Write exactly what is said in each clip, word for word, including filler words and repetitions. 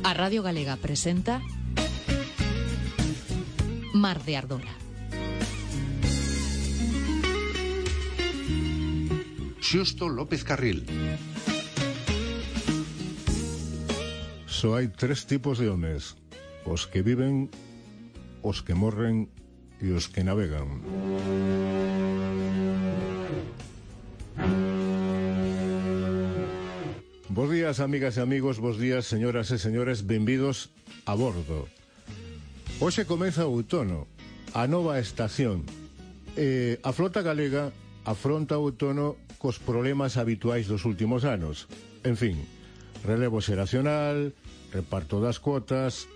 A Radio Galega presenta Mar de Ardora. Xusto López Carril. Só hai tres tipos de homes: os que viven, os que morren e os que navegan. Bos días, amigas e amigos, bos días, señoras e señores, benvidos a bordo. Hoxe comeza o outono, a nova estación. E a flota galega afronta o outono cos problemas habituais dos últimos anos. En fin, relevo xeracional, reparto das cuotas,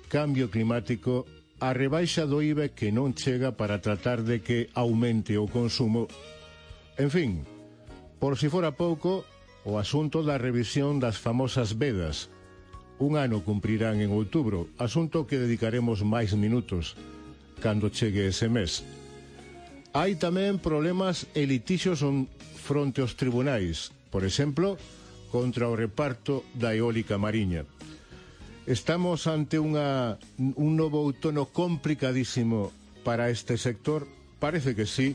cambio climático, a rebaixa do I V A que non chega para tratar de que aumente o consumo. En fin, por si fora pouco, o asunto da revisión das famosas vedas. Un ano cumprirán en outubro, asunto que dedicaremos máis minutos cando chegue ese mes. Hai tamén problemas e litixos fronte aos tribunais, por exemplo, contra o reparto da eólica mariña. Estamos ante unha, un novo outono complicadísimo para este sector? Parece que sí,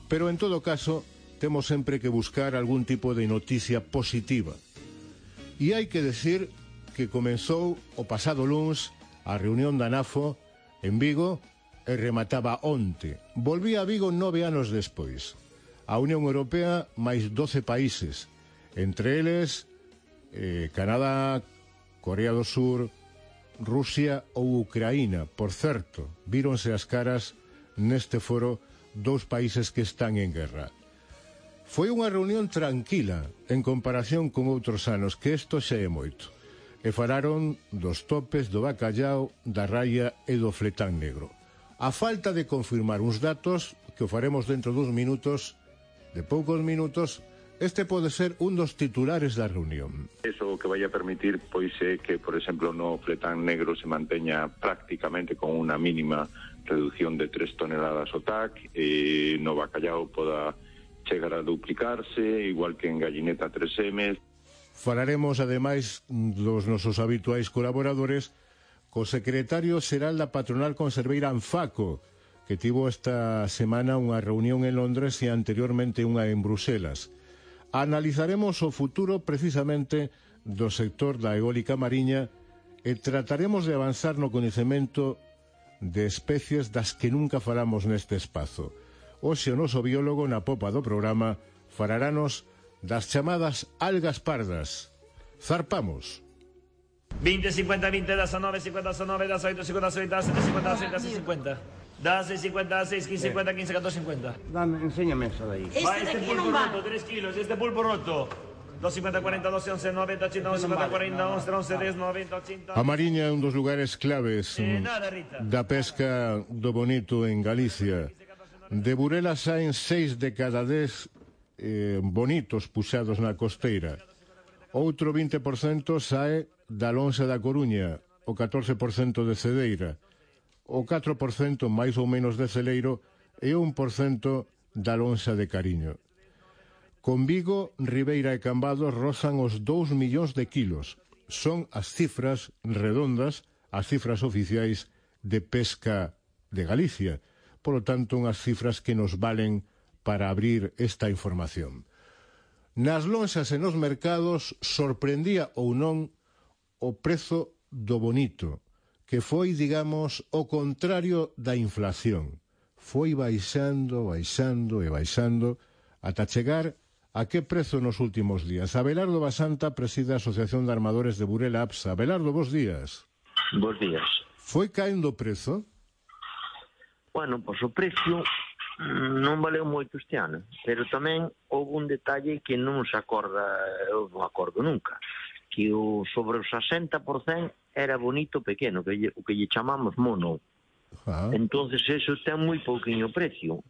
pero en todo caso temos sempre que buscar algún tipo de noticia positiva. E hai que decir que comenzou o pasado luns a reunión da NAFO en Vigo e remataba onte. Volvía a Vigo nove anos despois. A Unión Europea máis doce países, entre eles eh, Canadá, Corea do Sur, Rusia ou Ucraína. Por certo, víronse as caras neste foro dous países que están en guerra. Foi unha reunión tranquila en comparación con outros anos, que isto xa é moito. E falaron dos topes do bacallao, da raia e do fletán negro. A falta de confirmar uns datos, que o faremos dentro dos minutos, de poucos minutos, este pode ser un dos titulares da reunión. Eso que vai a permitir, pois, é que, por exemplo, no fletán negro se manteña prácticamente con unha mínima reducción de tres toneladas o T A C, e no bacallao poda chegar a duplicarse, igual que en gallineta tres eme. Falaremos, ademais, dos nosos habituais colaboradores co secretario xeral da patronal conserveira Anfaco, que tivo esta semana unha reunión en Londres e anteriormente unha en Bruselas. Analizaremos o futuro precisamente do sector da eólica mariña e trataremos de avanzar no coñecemento de especies das que nunca falamos neste espazo. Hoxe o noso biólogo na popa do programa falarános das chamadas algas pardas. Zarpamos. veinte, cincuenta, veinte, diecinueve, cincuenta, diecinueve, dieciocho, cincuenta, sete, cincuenta, seis, cincuenta. dieciséis, cincuenta, seis, quince, cincuenta, quince, catorce, cincuenta. Dame, enséñame eso de ahí. Este va este pulpo no roto, tres kilos, este pulpo roto. dos, cincuenta, cuarenta, doce, once, noventa, ochenta, cincuenta, cuarenta, once, once, diez, noventa, ochenta. A Mariña é un dos lugares claves eh, nada, Rita. da pesca do bonito en Galicia. De Burela saen seis de cada dez eh, bonitos puxados na costeira. Outro vinte por cento sae da lonxa da Coruña, o catorce por cento de Cedeira, o catro por cento máis ou menos de Celeiro e un por cento da lonxa de Cariño. Con Vigo, Ribeira e Cambados rozan os dous millóns de kilos. Son as cifras redondas, as cifras oficiais de pesca de Galicia. Por lo tanto, unhas cifras que nos valen para abrir esta información. Nas lonxas e nos mercados sorprendía ou non o prezo do bonito, que foi, digamos, o contrario da inflación. Foi baixando, baixando e baixando ata chegar a que prezo nos últimos días. Abelardo Basanta preside a Asociación de Armadores de Burela APSA. Abelardo, bos días. Bos días. Foi caendo o prezo? Bueno, pois o precio non valeu moito este ano, pero tamén houve un detalle que non se acorda, eu non acordo nunca, que o sobre o sesenta por cento era bonito pequeno, que lle, o que lle chamamos mono. Ah. Entonces eso ten moi pouquinho precio.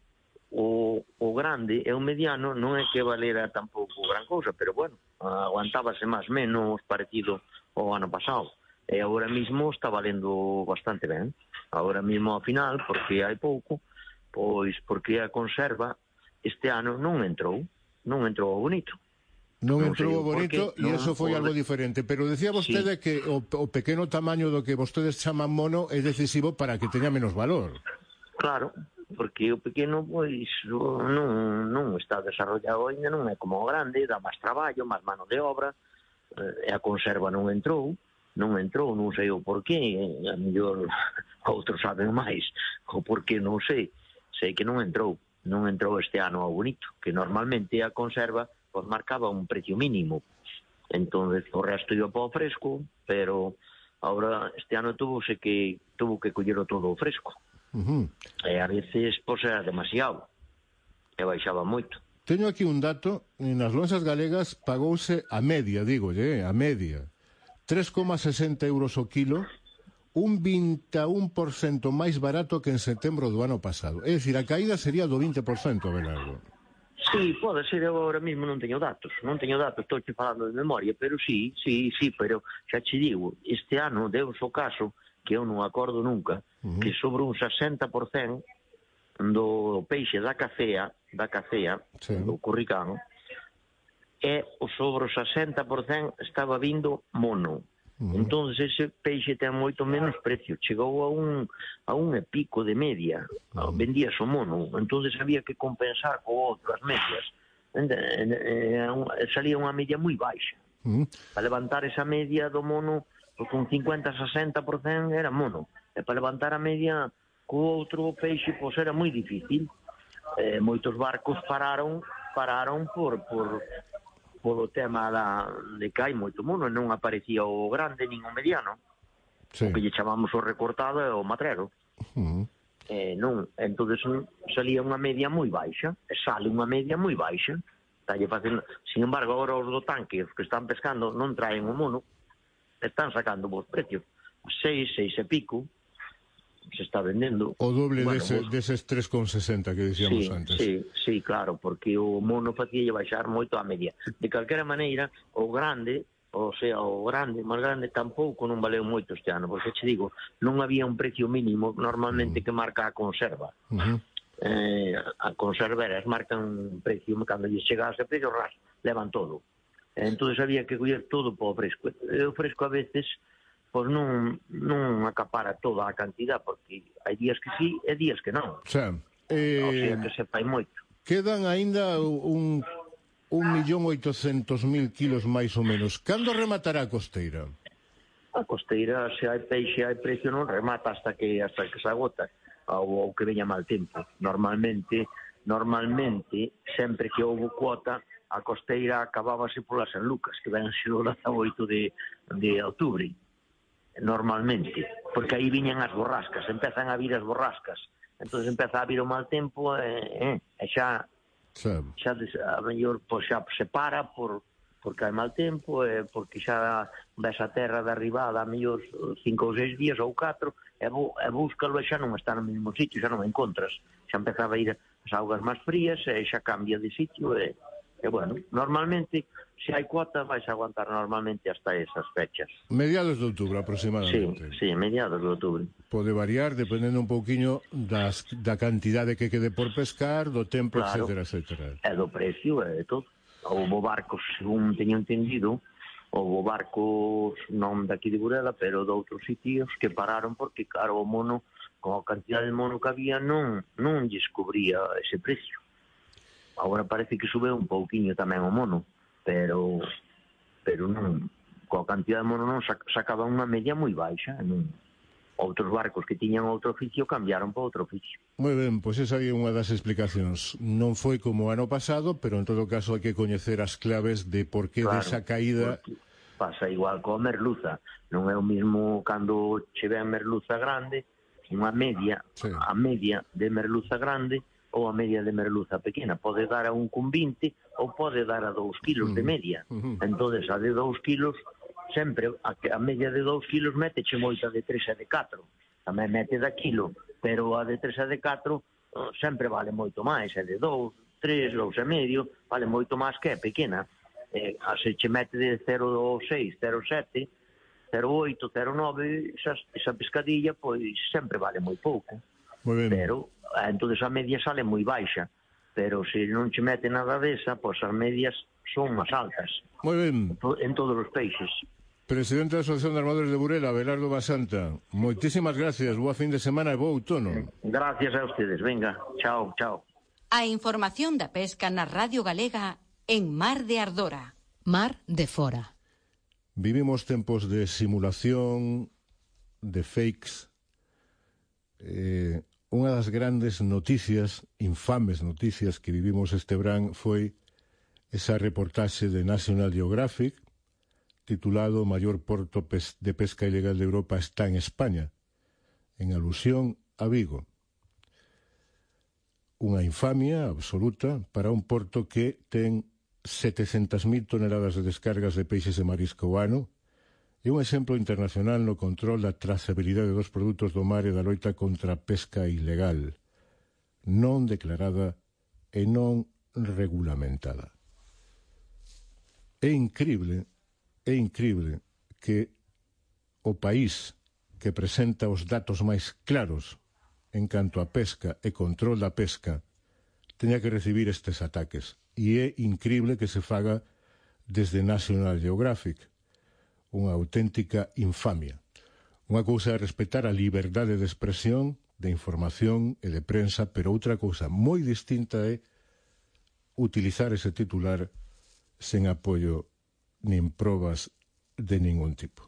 O, o grande e o mediano non é que valera tampouco gran cousa, pero bueno, aguantábase máis menos parecido ao ano pasado. E agora mismo está valendo bastante ben. Agora mismo ao final, porque hai pouco, pois porque a conserva este ano non entrou, non entrou bonito. Non Non sei entrou o o bonito porqué, e non, eso foi o- algo diferente. Pero decía vostede Sí. que o, o pequeno tamaño do que vostedes chaman mono é decisivo para que teña menos valor. Claro, porque o pequeno pois non, non está desarrollado ainda, non é como o grande, dá máis traballo, máis mano de obra, e a conserva non entrou, non entrou, non sei o porqué, a mellor outros saben máis, o porqué non sei, sei que non entrou, non entrou este ano ao bonito, que normalmente a conserva pois marcaba un precio mínimo, entonces o resto iba para o fresco, pero ahora este ano tuvose que tuvo que collero todo o fresco. Uh-huh. E a veces, pois, era demasiado. E baixaba moito. Teño aquí un dato, nas lonxas galegas pagouse a media, digo, eh, a media, tres coma sesenta euros o kilo, un vinte e un por cento máis barato que en setembro do ano pasado. É dicir, a caída sería do vinte por cento, Abelardo. Sí, pode ser, eu agora mesmo non teño datos, non teño datos, estou che falando de memoria, pero sí, sí, sí, pero xa che digo, este ano deus o caso, que eu non acordo nunca, uh-huh. que sobre un sesenta por cento do peixe da cacea, da cacea, sí. do curricano, e o sobre o sesenta por cento estaba vindo mono. Uh-huh. Entón, ese peixe ten moito menos precio. Chegou a un a un e pico de media. Uh-huh. Vendías o mono. Entón, había que compensar co outro as medias. E, e, e, salía unha media moi baixa. Uh-huh. Para levantar esa media do mono, porque un cincuenta a sesenta por cento era mono. E para levantar a media co outro peixe, pois era moi difícil. Eh, moitos barcos pararon pararon por... por polo tema da, de que hai moito mono, non aparecía o grande nin o mediano, sí. O que lle chamamos o recortado e o matrero. Uh-huh. Eh, non, entonces salía unha media moi baixa, e sale unha media moi baixa, talle facendo, sin embargo, agora os do tanque, os que están pescando, non traen o mono, están sacando vos precios, seis, seis e pico, se está vendendo. O doble bueno, dese, vos... deses tres con sesenta que dicíamos sí, antes. Sí, sí, claro, porque o mono facía baixar moito a media. De calquera maneira, o grande, o sea, o grande, máis grande, tampouco non valeu moito este ano, porque che digo, non había un precio mínimo normalmente uh-huh. que marca a conserva. Uh-huh. Eh, a conserveras marcan un precio, cando lle chegase a precio, ras, levan todo. Entón había que coller todo para o fresco. E o fresco a veces... pois non, non acapara toda a cantidad, porque hai días que sí e días que non. O sea, eh, o sea que se fai moito. Quedan aínda un, un millón oitocentos mil kilos máis ou menos. Cando rematará a costeira? A costeira, se hai peixe, hai precio, non remata hasta que hasta que se agota, ou, ou que veña mal tempo. Normalmente, normalmente, sempre que houve cuota, a costeira acabábase pola San Lucas, que ven ser o dezaoito de, de outubro. Normalmente, porque aí viñan as borrascas, empezan a vir as borrascas, entonces empeza a vir o mal tempo e, e xa xa a mellor pois xa se para por, porque hai mal tempo e porque xa ves a terra derribada a mellor cinco ou seis días ou catro e, bu, e búscalo e xa non está no mesmo sitio, xa non o encontras, xa empezaba a ir as augas máis frías e xa cambia de sitio e, e bueno, normalmente se hai cuota vais a aguantar normalmente hasta esas fechas. Mediados de outubro aproximadamente. Sí, sí, mediados de outubro. Pode variar dependendo un pouquiño das, da cantidade que quede por pescar, do tempo, claro, etcétera, etcétera. E do precio e todo. Houve barcos, según teño entendido, houve barcos non daqui de Burela, pero de outros sitios que pararon porque, claro, o mono, con a cantidade de mono que había, non, non lles cubría ese precio. Agora parece que sube un pouquiño tamén o mono, pero pero non, coa cantidad de mono non sacaba unha media moi baixa, non. Outros barcos que tiñan outro oficio cambiaron para outro oficio. Moi ben, pois esa é unha das explicacións. Non foi como o ano pasado, pero en todo caso hai que coñecer as claves de por que claro, desa caída. Pasa igual coa merluza, non é o mismo cando che ven merluza grande, unha media, sí. A media de merluza grande ou a media de merluza pequena, pode dar a un con vinte ou pode dar a dous kilos mm. de media. Mm-hmm. Entón, a de dous kilos, sempre, a, a media de dous kilos meteche moita de tres e de catro. Tamén mete da kilo, pero a de tres e de catro uh, sempre vale moito máis. A de dous, tres, dous e medio, vale moito máis que a pequena. Eh, a se che mete de cero vírgula seis, cero vírgula sete, cero vírgula oito, cero vírgula nove, esa, esa pescadilla, pois sempre vale moi pouco. Moi ben. Pero, entón, a media sale moi baixa. Pero se non che mete nada desa, pois as medias son máis altas Moi ben. en todos os peixes. Presidente da Asociación de Armadores de Burela, Abelardo Basanta, moitísimas gracias, boa fin de semana e bo outono. Gracias a ustedes, venga, chao, chao. A información da pesca na Radio Galega en Mar de Ardora. Mar de Fora. Vivimos tempos de simulación, de fakes. Eh, unha das grandes noticias, infames noticias que vivimos este verán foi esa reportaxe de National Geographic titulado "O maior porto de pesca ilegal de Europa está en España", en alusión a Vigo. Unha infamia absoluta para un porto que ten setecentas mil toneladas de descargas de peixes e marisco ao ano e un exemplo internacional no control da trazabilidade dos produtos do mar e da loita contra a pesca ilegal, non declarada e non regulamentada. É incrible, é incrible que o país que presenta os datos máis claros en canto a pesca e control da pesca teña que recibir estes ataques. E é incrible que se faga desde National Geographic. Unha auténtica infamia. Unha cousa é respetar a liberdade de expresión, de información e de prensa, pero outra cousa moi distinta é utilizar ese titular sen apoio nin probas de ningún tipo.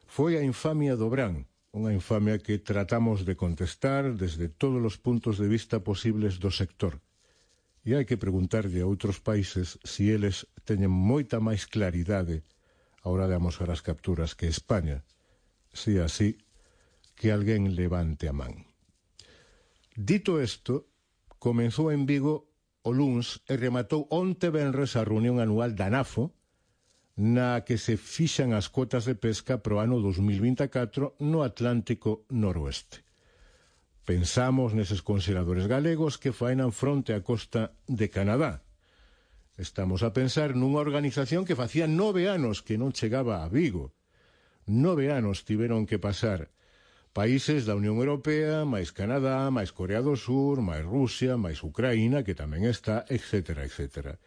Foi a infamia do Brán, unha infamia que tratamos de contestar desde todos os puntos de vista posibles do sector. E hai que preguntarlle a outros países se eles teñen moita máis claridade a hora de amosar as capturas que España, si así, que alguén levante a man. Dito isto, comenzou en Vigo o luns e rematou onte venres a reunión anual da NAFO, na que se fixan as cotas de pesca pro ano dos mil vinte e catro no Atlántico Noroeste. Pensamos neses conservadores galegos que faenan fronte á costa de Canadá. Estamos a pensar nunha organización que facía nove anos que non chegaba a Vigo. Nove anos tiveron que pasar países da Unión Europea, máis Canadá, máis Corea do Sur, máis Rusia, máis Ucraína, que tamén está, etcétera, etcétera.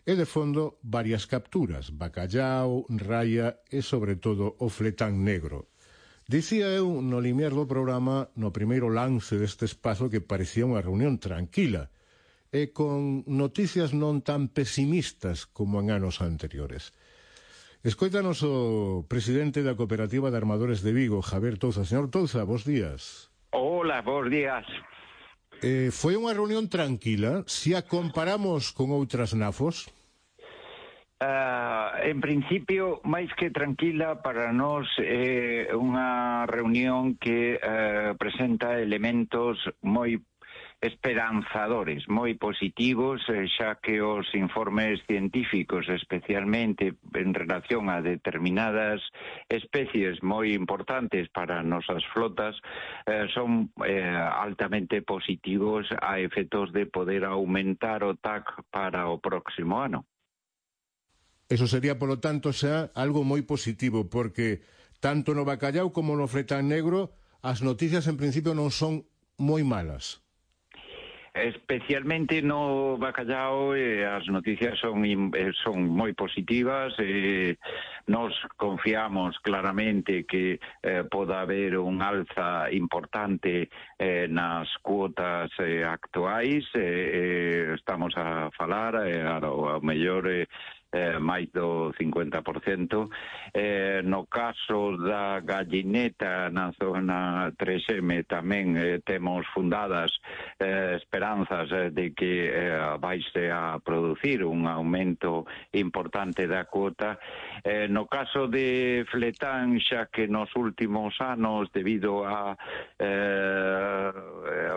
E de fondo, varias capturas, bacallao, raya e, sobre todo, o fletán negro. Dicía eu no limiar do programa, no primeiro lance deste espazo, que parecía unha reunión tranquila e con noticias non tan pesimistas como en anos anteriores. Escoítanos o presidente da Cooperativa de Armadores de Vigo, Javier Touza. Señor Touza, bons días. Hola, bons días. Eh, foi unha reunión tranquila, se a comparamos con outras NAFOs? Uh, en principio, máis que tranquila, para nós é eh, unha reunión que uh, presenta elementos moi esperanzadores, moi positivos, eh, xa que os informes científicos, especialmente en relación a determinadas especies moi importantes para nosas flotas, eh, son eh, altamente positivos a efectos de poder aumentar o T A C para o próximo ano. Eso sería, polo tanto, xa algo moi positivo, porque tanto no bacallao como no fletán negro as noticias en principio non son moi malas. Especialmente no bacallao eh, as noticias son eh, son moi positivas. Eh, nos confiamos claramente que eh, poda haber un alza importante eh, nas cuotas eh, actuais. Eh, eh, estamos a falar eh, ao mellor eh, Eh, máis do cincuenta por cento. Eh, no caso da gallineta na zona tres eme tamén eh, temos fundadas eh, esperanzas eh, de que eh, vaise a producir un aumento importante da cuota. Eh, no caso de fletán, xa que nos últimos anos, debido a eh,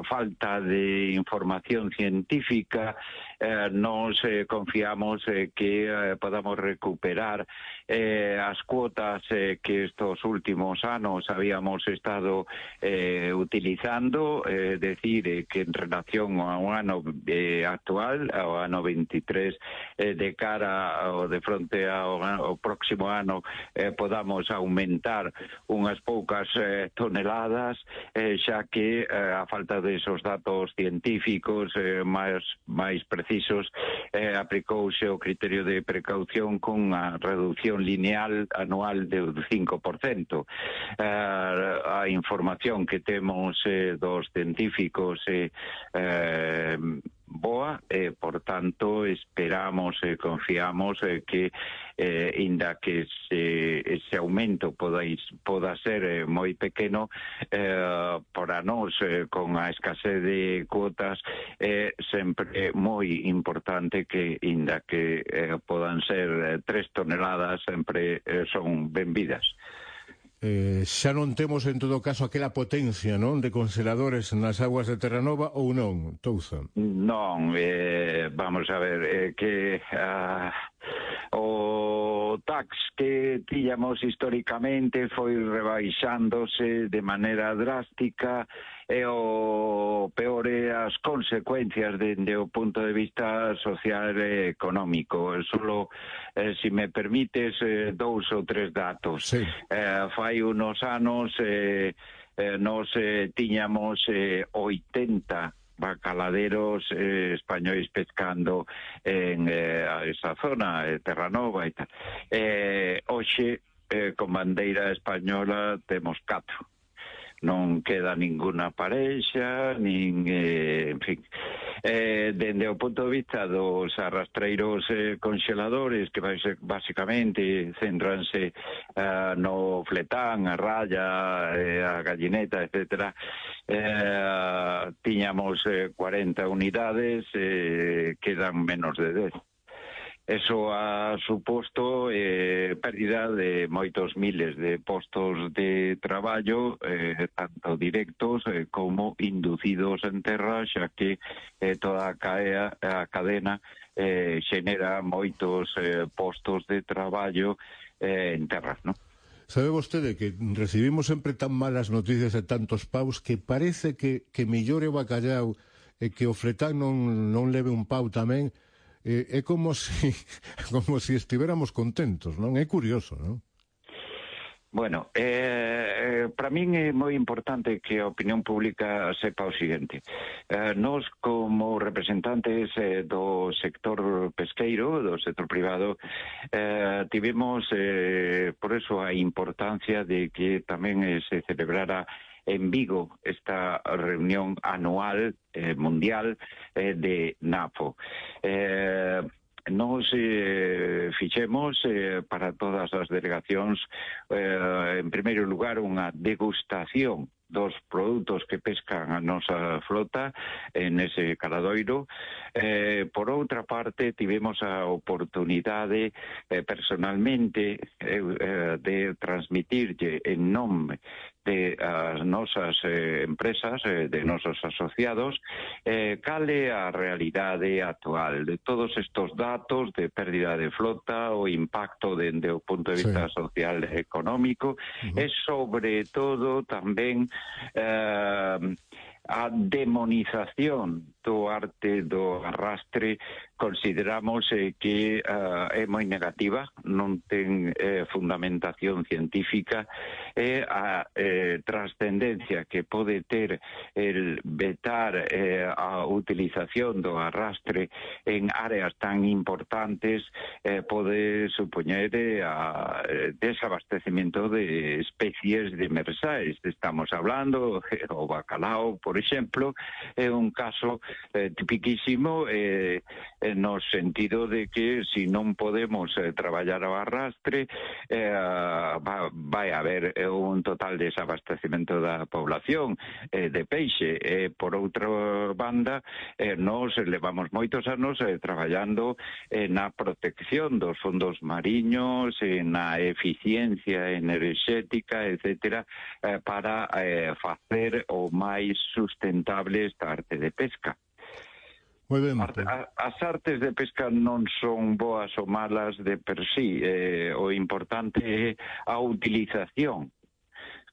falta de información científica, eh, nos eh, confiamos eh, que eh, podamos recuperar eh, as cuotas eh, que estos últimos anos habíamos estado eh, utilizando, é eh, decir, eh, que en relación ao ano eh, actual, ao ano veintitrés, eh, de cara ao de fronte ao, ao próximo ano, eh, podamos aumentar unhas poucas eh, toneladas, eh, xa que eh, a falta de esos datos científicos eh, máis, máis precisos, eh, aplicouse o criterio de precaución con a reducción lineal anual de cinco por cento. Eh, a información que temos eh, dos científicos eh, eh, boa, e, eh, por tanto, esperamos e eh, confiamos eh, que, eh, inda que ese, ese aumento poda, poda ser eh, moi pequeno, eh, para nós, eh, con a escasez de cuotas, é eh, sempre moi importante que, inda que eh, podan ser eh, tres toneladas, sempre eh, son benvidas. Eh, xa non temos en todo caso aquela potencia, non, de congeladores nas aguas de Terranova ou non, Touza? Non, eh, vamos a ver, eh, que uh, o tax que tiñamos históricamente foi rebaixándose de maneira drástica, e o peor é as consecuencias dende o punto de vista social e económico. Solo, eh, si me permites, eh, dous ou tres datos. Sí. Eh, fai unos anos eh, eh, nos eh, tiñamos eh, oitenta bacaladeros eh, españois pescando en eh, esa zona, eh, Terranova e tal. Eh, hoxe, eh, con bandeira española, temos catro. Non queda ninguna parexa, nin, eh, en fin. Eh, dende o punto de vista dos arrastreiros eh, congeladores, que basicamente centranse eh, no fletán, a raya, eh, a gallineta, etcétera, eh, tiñamos eh, cuarenta unidades, eh, quedan menos de dez. Eso ha suposto eh, pérdida de moitos miles de postos de traballo, eh, tanto directos eh, como inducidos en terra, xa que eh, toda a, caea, a cadena eh, xenera moitos eh, postos de traballo eh, en terra, non? Sabe vostede que recibimos sempre tan malas noticias e tantos paus que parece que, que mellore o bacallau e que o fletán non, non leve un pau tamén. Eh, é como si como si estiveramos contentos, non? É curioso, non? Bueno, eh, para min é moi importante que a opinión pública sepa o seguinte. Eh, nós, como representantes eh, do sector pesqueiro, do sector privado, eh, tivemos, eh, por eso, a importancia de que tamén eh, se celebrara en Vigo esta reunión anual eh, mundial eh, de NAFO. Eh, nos eh, fixemos eh, para todas as delegacións, eh, en primeiro lugar, unha degustación dos produtos que pescan a nosa flota en ese caladoiro. Eh, por outra parte, tivemos a oportunidade eh, personalmente eh, eh, de transmitirlle en nome de as nosas eh, empresas, eh, de nosos asociados, eh, cale a realidade actual de todos estos datos de pérdida de flota, o impacto dende o punto de vista sí. social e económico, uh-huh. e sobre todo tamén eh, a demonización do arte do arrastre. Consideramos eh, que uh, é moi negativa, non ten eh, fundamentación científica, e a eh, trascendencia que pode ter el vetar eh, a utilización do arrastre en áreas tan importantes eh, pode supoñer eh, a eh, desabastecimiento de especies demersais. Estamos hablando eh, o bacalao, por exemplo, é un caso eh, tipiquísimo eh, no sentido de que si non podemos eh, traballar ao arrastre eh, va, vai haber eh, un total desabastecimento da población eh, de peixe. Eh, por outra banda, eh, nos levamos moitos anos eh, traballando eh, na protección dos fondos mariños, eh, na eficiencia enerxética, etcétera, eh, para eh, facer o máis sustentable esta arte de pesca. Moi ben. Arte, a, as artes de pesca non son boas ou malas de per sí, eh, o importante é a utilización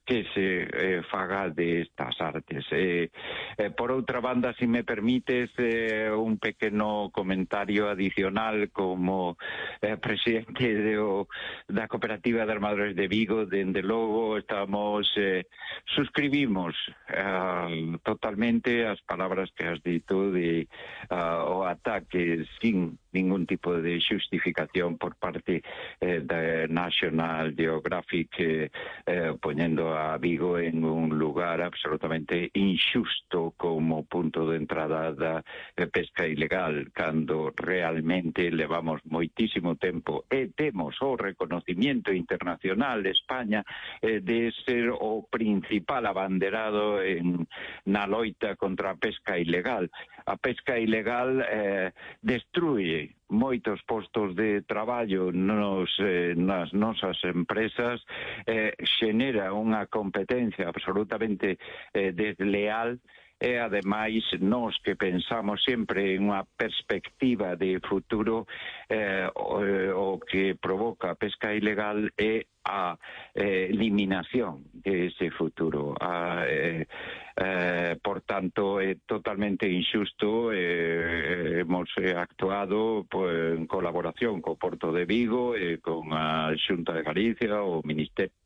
que se eh, faga de estas artes. Eh, eh, por outra banda, si me permites, eh, un pequeno comentario adicional como eh, presidente de o, da Cooperativa de Armadores de Vigo, dende logo estamos eh, suscribimos eh, totalmente as palabras que has dito de uh, o ataque sin ningún tipo de xustificación por parte eh, da National Geographic eh, eh, poñendo a Vigo en un lugar absolutamente injusto como punto de entrada da eh, pesca ilegal, cando realmente levamos moitísimo tempo e temos o reconocimiento internacional de España eh, de ser o principal abanderado en, na loita contra a pesca ilegal. A pesca ilegal eh, destrúe moitos postos de traballo nos, eh, nas nosas empresas, eh, xenera unha competencia absolutamente eh, desleal e, ademais, nós que pensamos sempre en unha perspectiva de futuro, eh, o, o que provoca a pesca ilegal é a eh, eliminación de ese futuro. A, eh, eh, por tanto, é totalmente injusto. Eh, hemos eh, actuado pues, en colaboración co Porto de Vigo, eh, con a Xunta de Galicia, o Ministerio,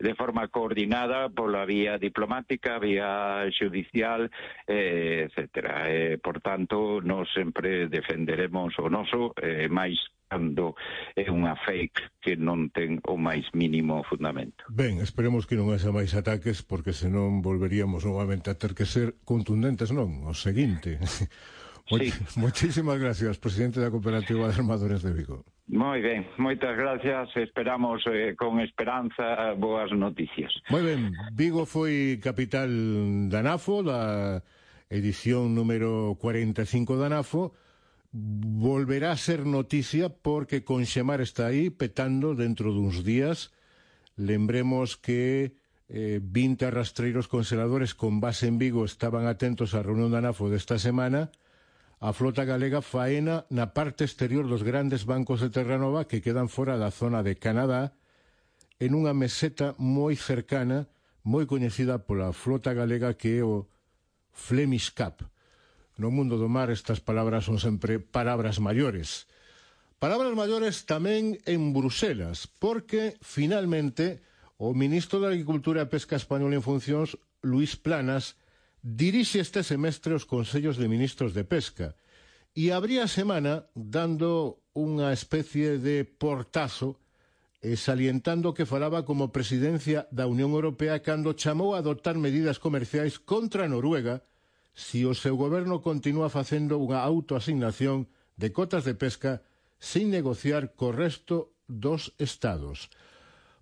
de forma coordinada pola vía diplomática, vía judicial, eh, etcétera. Eh, por tanto, nós sempre defenderemos o noso, eh, máis cando é unha fake que non ten o máis mínimo fundamento. Ben, esperemos que non haxa máis ataques, porque senón volveríamos novamente a ter que ser contundentes, non? O seguinte. Sí. Moitísimas gracias, presidente da Cooperativa de Armadores de Vigo. Moi ben, moitas gracias. Esperamos eh, con esperanza boas noticias. Moi ben, Vigo foi capital da NAFO, da edición número cuarenta e cinco da NAFO. Volverá a ser noticia porque Conxemar está aí petando dentro duns días. Lembremos que eh, vinte arrastreiros congeladores con base en Vigo estaban atentos á reunión da NAFO desta semana. A flota galega faena na parte exterior dos grandes bancos de Terranova que quedan fora da zona de Canadá, en unha meseta moi cercana, moi coñecida pola flota galega, que é o Flemish Cap. No mundo do mar estas palabras son sempre palabras maiores. Palabras maiores tamén en Bruselas, porque finalmente o ministro da Agricultura e Pesca español en funcións, Luís Planas, dirixe este semestre os Consellos de Ministros de Pesca e abría a semana dando unha especie de portazo e salientando que falaba como presidencia da Unión Europea cando chamou a adoptar medidas comerciais contra Noruega si o seu goberno continúa facendo unha autoasignación de cotas de pesca sin negociar co resto dos estados.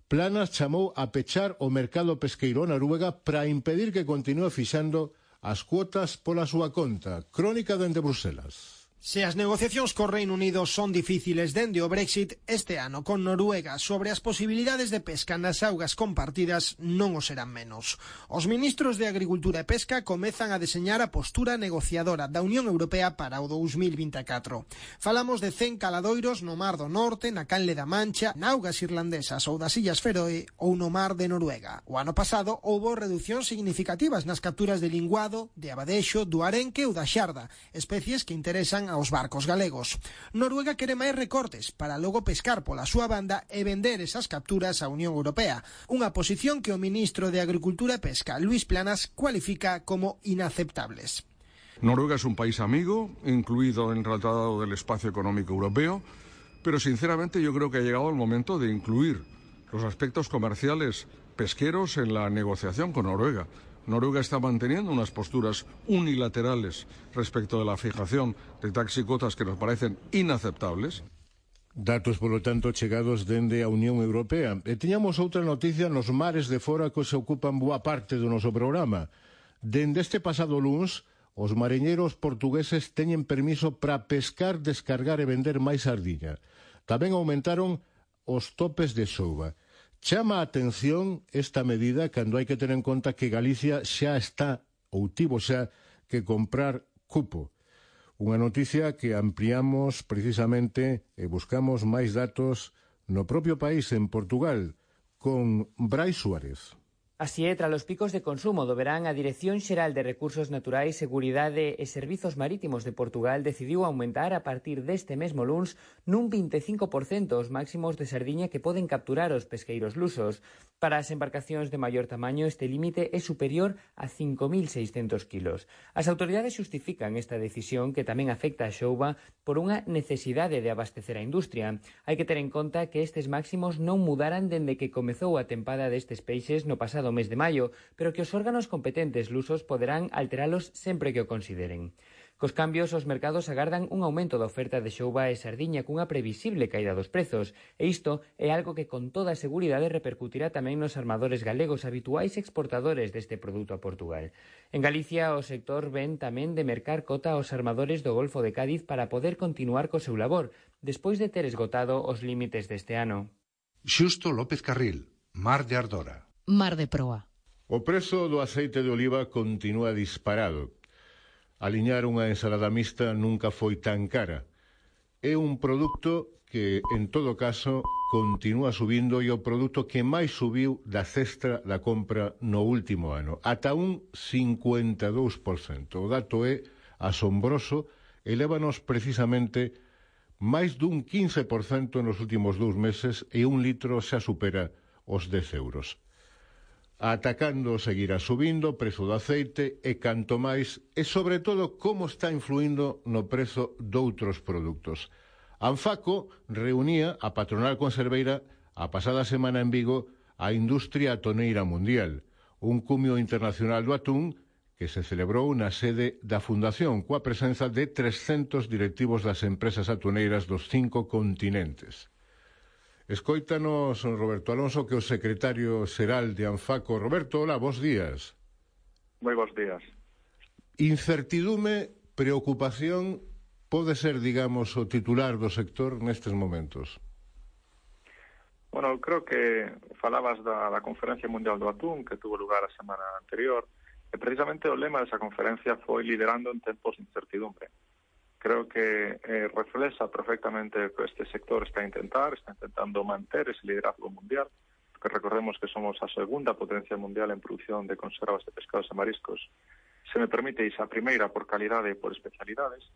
Planas chamou a pechar o mercado pesqueiro Noruega para impedir que continúe fixando as cuotas pola súa conta. Crónica dende Bruselas. Se as negociacións co Reino Unido son difíciles dende o Brexit, este ano con Noruega sobre as posibilidades de pesca nas augas compartidas non o serán menos. Os ministros de Agricultura e Pesca comezan a deseñar a postura negociadora da Unión Europea para o dous mil vinte e catro. Falamos de cen caladoiros no Mar do Norte, na Canle da Mancha, na augas irlandesas ou das Illas Feroe ou no Mar de Noruega. O ano pasado houbo reduccións significativas nas capturas de linguado, de abadexo, do arenque ou da xarda, especies que interesan aos barcos galegos. Noruega quere máis recortes para logo pescar pola súa banda e vender esas capturas á Unión Europea, unha posición que o ministro de Agricultura e Pesca, Luís Planas, cualifica como inaceptables. Noruega es un país amigo, incluido en el Tratado del Espacio Económico Europeo, pero sinceramente yo creo que ha llegado el momento de incluir los aspectos comerciales pesqueros en la negociación con Noruega. Noruega está manteniendo unas posturas unilaterales respecto de la fijación de taxis y cotas que nos parecen inaceptables. Datos, polo tanto, chegados dende a Unión Europea. E tiñamos outra noticia nos mares de fora que se ocupan boa parte do noso programa. Dende este pasado luns, os mariñeiros portugueses teñen permiso para pescar, descargar e vender máis sardiña. Tamén aumentaron os topes de souba. Chama a atención esta medida cando hai que ter en conta que Galicia xa está ou tivo xa que comprar cupo. Unha noticia que ampliamos precisamente e buscamos máis datos no propio país, en Portugal, con Brais Suárez. Así é, tras os picos de consumo do verán, a Dirección Xeral de Recursos Naturais, Seguridade e Servizos Marítimos de Portugal decidiu aumentar a partir deste mesmo luns nun vinte e cinco por cento os máximos de sardiña que poden capturar os pesqueiros lusos. Para as embarcacións de maior tamaño, este límite é superior a cinco mil seiscentos kilos. As autoridades xustifican esta decisión, que tamén afecta a xouba, por unha necesidade de abastecer a industria. Hai que ter en conta que estes máximos non mudaran dende que comezou a tempada destes peixes no pasado mes de maio, pero que os órganos competentes lusos poderán alteralos sempre que o consideren. Cos cambios, os mercados agardan un aumento da oferta de xouba e sardiña cunha previsible caída dos prezos, e isto é algo que con toda a seguridade repercutirá tamén nos armadores galegos, habituais exportadores deste produto a Portugal. En Galicia, o sector ven tamén de mercar cota aos armadores do Golfo de Cádiz para poder continuar co seu labor, despois de ter esgotado os límites deste ano. Xusto López Carril, Mar de Ardora. Mar de Proa. O prezo do aceite de oliva continúa disparado. Aliñar unha ensalada mixta nunca foi tan cara. É un produto que, en todo caso, continúa subindo e o produto que máis subiu da cesta da compra no último ano, ata un cincuenta e dous por cento. O dato é asombroso e lévanos precisamente máis dun quince por cento nos últimos dous meses e un litro xa supera os dez euros. Atacando seguirá subindo o prezo do aceite e canto máis, e sobre todo como está influindo no prezo doutros produtos. Anfaco reunía a patronal conserveira a pasada semana en Vigo a industria atoneira mundial, un cumio internacional do atún que se celebrou na sede da Fundación coa presenza de trescentos directivos das empresas atuneiras dos cinco continentes. Escóitanos Roberto Alonso, que é o secretario xeral de Anfaco. Roberto, hola, bons días. Moi bons días. Incertidume, preocupación, pode ser, digamos, o titular do sector nestes momentos? Bueno, creo que falabas da, da Conferencia Mundial do Atún, que tuvo lugar a semana anterior, e precisamente o lema desa conferencia foi liderando en tempos de incertidumbre. Creo que eh, reflexa perfectamente o que este sector está a intentar, está intentando manter ese liderazgo mundial, porque recordemos que somos a segunda potencia mundial en producción de conservas de pescados e mariscos. Se me permite, a primeira por calidade e por especialidades.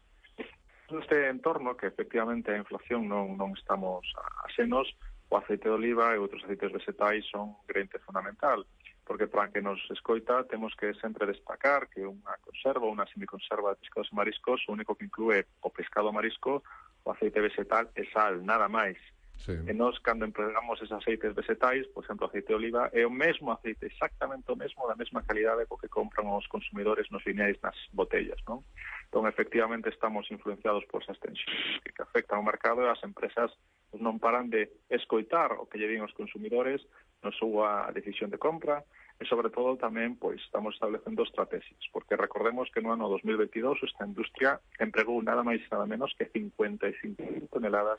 Neste entorno, que efectivamente a inflación non, non estamos axenos, o aceite de oliva e outros aceites vegetais son grente fundamental, porque para que nos escoita temos que sempre destacar que unha conserva, unha semiconserva de pescados e mariscos, o único que inclúe o pescado marisco, o aceite vegetal e sal, nada máis. Sí. E nós, cando empregamos esos aceites vegetais, por exemplo, aceite de oliva, é o mesmo aceite, exactamente o mesmo, da mesma calidade co que compran os consumidores nos lineais nas botellas, non? Entón, efectivamente, estamos influenciados por esas tensións que afectan ao mercado e as empresas non paran de escoitar o que lle din os consumidores na súa decisión de compra e, sobre todo, tamén pois estamos establecendo estrategias, porque recordemos que no ano dos mil veintidós esta industria empregou nada máis nada menos que cincuenta e cinco mil toneladas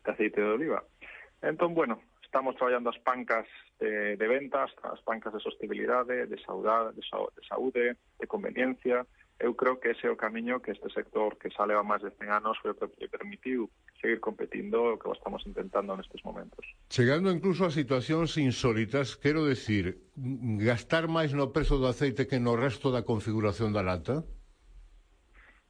de aceite de oliva. Entón, bueno, estamos traballando as pancas de, de ventas, as pancas de sostenibilidade, de saúde, de, de saúde, de conveniencia. Eu creo que ese é o camiño que este sector, que xa leva máis de cen anos, foi o que permitiu seguir competindo, o que estamos intentando nestes momentos. Chegando incluso a situacións insólitas, quero decir, gastar máis no prezo do aceite que no resto da configuración da lata?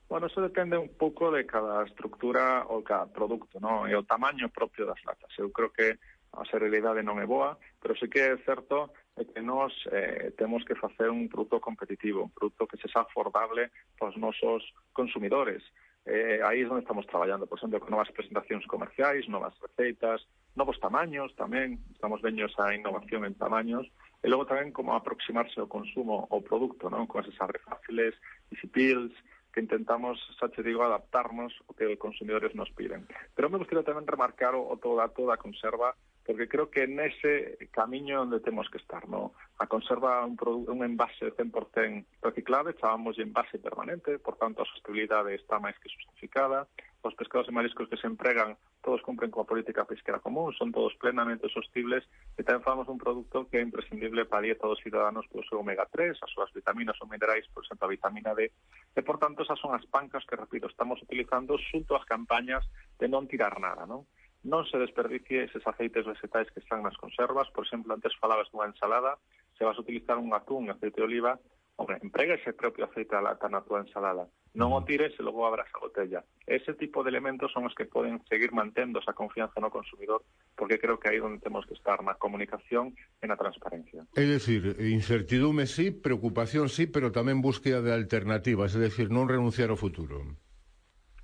Bueno, eso depende un pouco de cada estructura ou cada produto, ¿no? E o tamaño propio das latas. Eu creo que a serialidade non é boa, pero sí que é certo que nós eh, temos que facer un produto competitivo, un produto que se xa afordable para os nosos consumidores. Eh, aí é onde estamos traballando, por exemplo, con novas presentacións comerciais, novas receitas, novos tamaños tamén, estamos vendo esa innovación en tamaños, e logo tamén como aproximarse ao consumo ao produto, non? Con esas abre fáciles, easy peels, que intentamos, xa te digo, adaptarnos ao que os consumidores nos piden. Pero me gustaría tamén remarcar o, o todo dato da conserva porque creo que nese camiño onde temos que estar, no? A conserva un, un envase cen por cento reciclable, chamamos de envase permanente, por tanto a sostenibilidade está máis que justificada, os pescados e mariscos que se empregan todos cumpren coa política pesquera común, son todos plenamente sostibles, e tamén falamos un produto que é imprescindible para a dieta dos ciudadanos polo seu omega tres, as súas vitaminas ou minerais, por exemplo, a vitamina D, e por tanto esas son as pancas que, repito, estamos utilizando xunto ás campañas de non tirar nada, non? Non se desperdicie eses aceites vegetais que están nas conservas, por exemplo, antes falabas dunha ensalada, se vas a utilizar un atún e aceite de oliva, hombre, emprega ese propio aceite de lata na tua ensalada, non o tires e logo abras a botella. Ese tipo de elementos son os que poden seguir mantendo esa confianza no consumidor, porque creo que aí onde temos que estar, na comunicación e na transparencia. É dicir, incertidume sí, preocupación sí, pero tamén búsqueda de alternativas, é dicir, non renunciar ao futuro.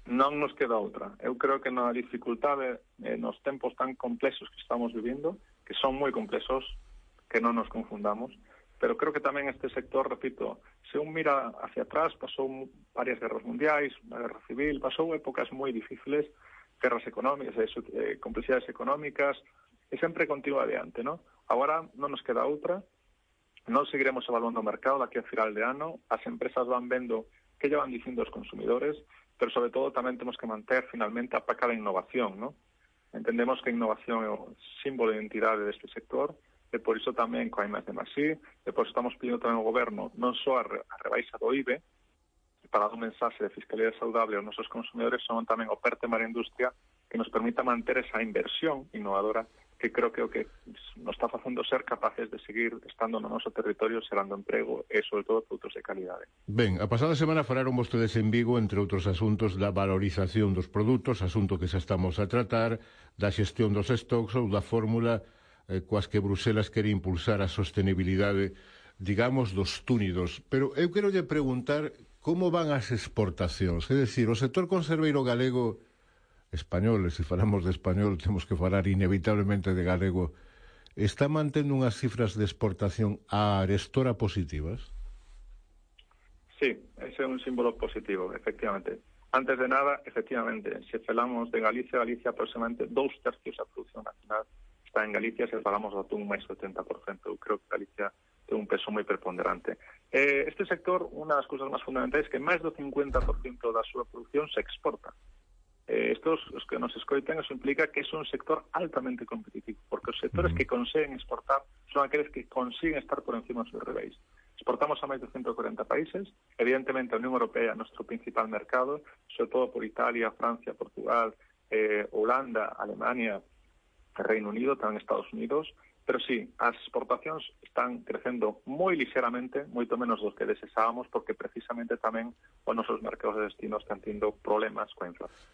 Non nos queda outra. Eu creo que na dificultade, eh, nos tempos tan complexos que estamos vivindo, que son moi complexos, que non nos confundamos, pero creo que tamén este sector, repito, se un mira hacia atrás, pasou varias guerras mundiais, unha guerra civil, pasou épocas moi difíciles, guerras económicas, eh, complexidades económicas, e sempre continúa adiante, ¿no? Agora non nos queda outra, non seguiremos evaluando o mercado daqui a final de ano, as empresas van vendo que lle van dicindo os consumidores, pero sobre todo tamén temos que manter finalmente a paca da innovación, ¿no? Entendemos que a innovación é o símbolo de identidade deste sector, e por iso tamén coa I máis D máis I, e por iso estamos pedindo tamén ao goberno non só a, re, a rebaixa do I V E, para dar un mensaxe de fiscalidade saudable aos nosos consumidores, son tamén o PERTE para a industria que nos permita manter esa inversión innovadora que creo que o que nos está facendo ser capaces de seguir estando no noso territorio, xerando emprego e, sobre todo, produtos de calidade. Ben, a pasada semana falaron vostedes en Vigo, entre outros asuntos, da valorización dos produtos, asunto que xa estamos a tratar, da xestión dos stocks ou da fórmula eh, coas que Bruselas quere impulsar a sostenibilidade, digamos, dos túnidos. Pero eu quero lle preguntar como van as exportacións, é dicir, o sector conserveiro galego español, e se falamos de español temos que falar inevitablemente de galego, está mantendo unhas cifras de exportación a arestora positivas? Sí, ese é un símbolo positivo, efectivamente. Antes de nada, efectivamente, se falamos de Galicia, Galicia aproximadamente dous tercios da produción nacional está en Galicia, se falamos do atún máis setenta por cento. Eu creo que Galicia ten un peso moi preponderante. Eh, este sector, unha das cousas máis fundamentais é que máis do cincuenta por cento da súa produción se exporta. Eh, estos, os que nos escoiten, eso implica que é un sector altamente competitivo, porque os sectores que conseguen exportar son aqueles que consiguen estar por encima dos seus rivais. Exportamos a máis de ciento cuarenta países, evidentemente a Unión Europea é o noso principal mercado, sobre todo por Italia, Francia, Portugal, eh, Holanda, Alemania, Reino Unido, tamén Estados Unidos, pero sí, as exportacións están crecendo moi lixeramente, moito menos dos que desesábamos, porque precisamente tamén os nosos mercados de destino están tendo problemas coa inflación.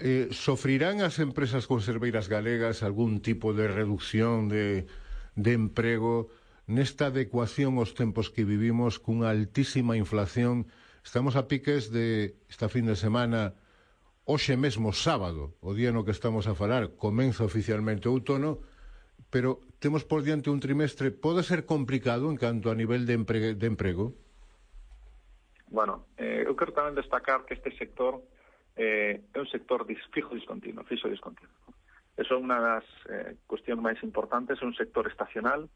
Eh, sofrirán as empresas conserveiras galegas algún tipo de reducción de, de emprego nesta adecuación aos tempos que vivimos cunha altísima inflación? Estamos a piques de esta fin de semana, hoxe mesmo sábado, o día no que estamos a falar, comeza oficialmente o outono, pero temos por diante un trimestre, pode ser complicado en canto a nivel de, empre de emprego? Bueno, eh, eu quero tamén destacar que este sector eh, é un sector fijo discontinuo, fixo discontinuo. Eso é unha das eh, cuestións máis importantes, é un sector estacional.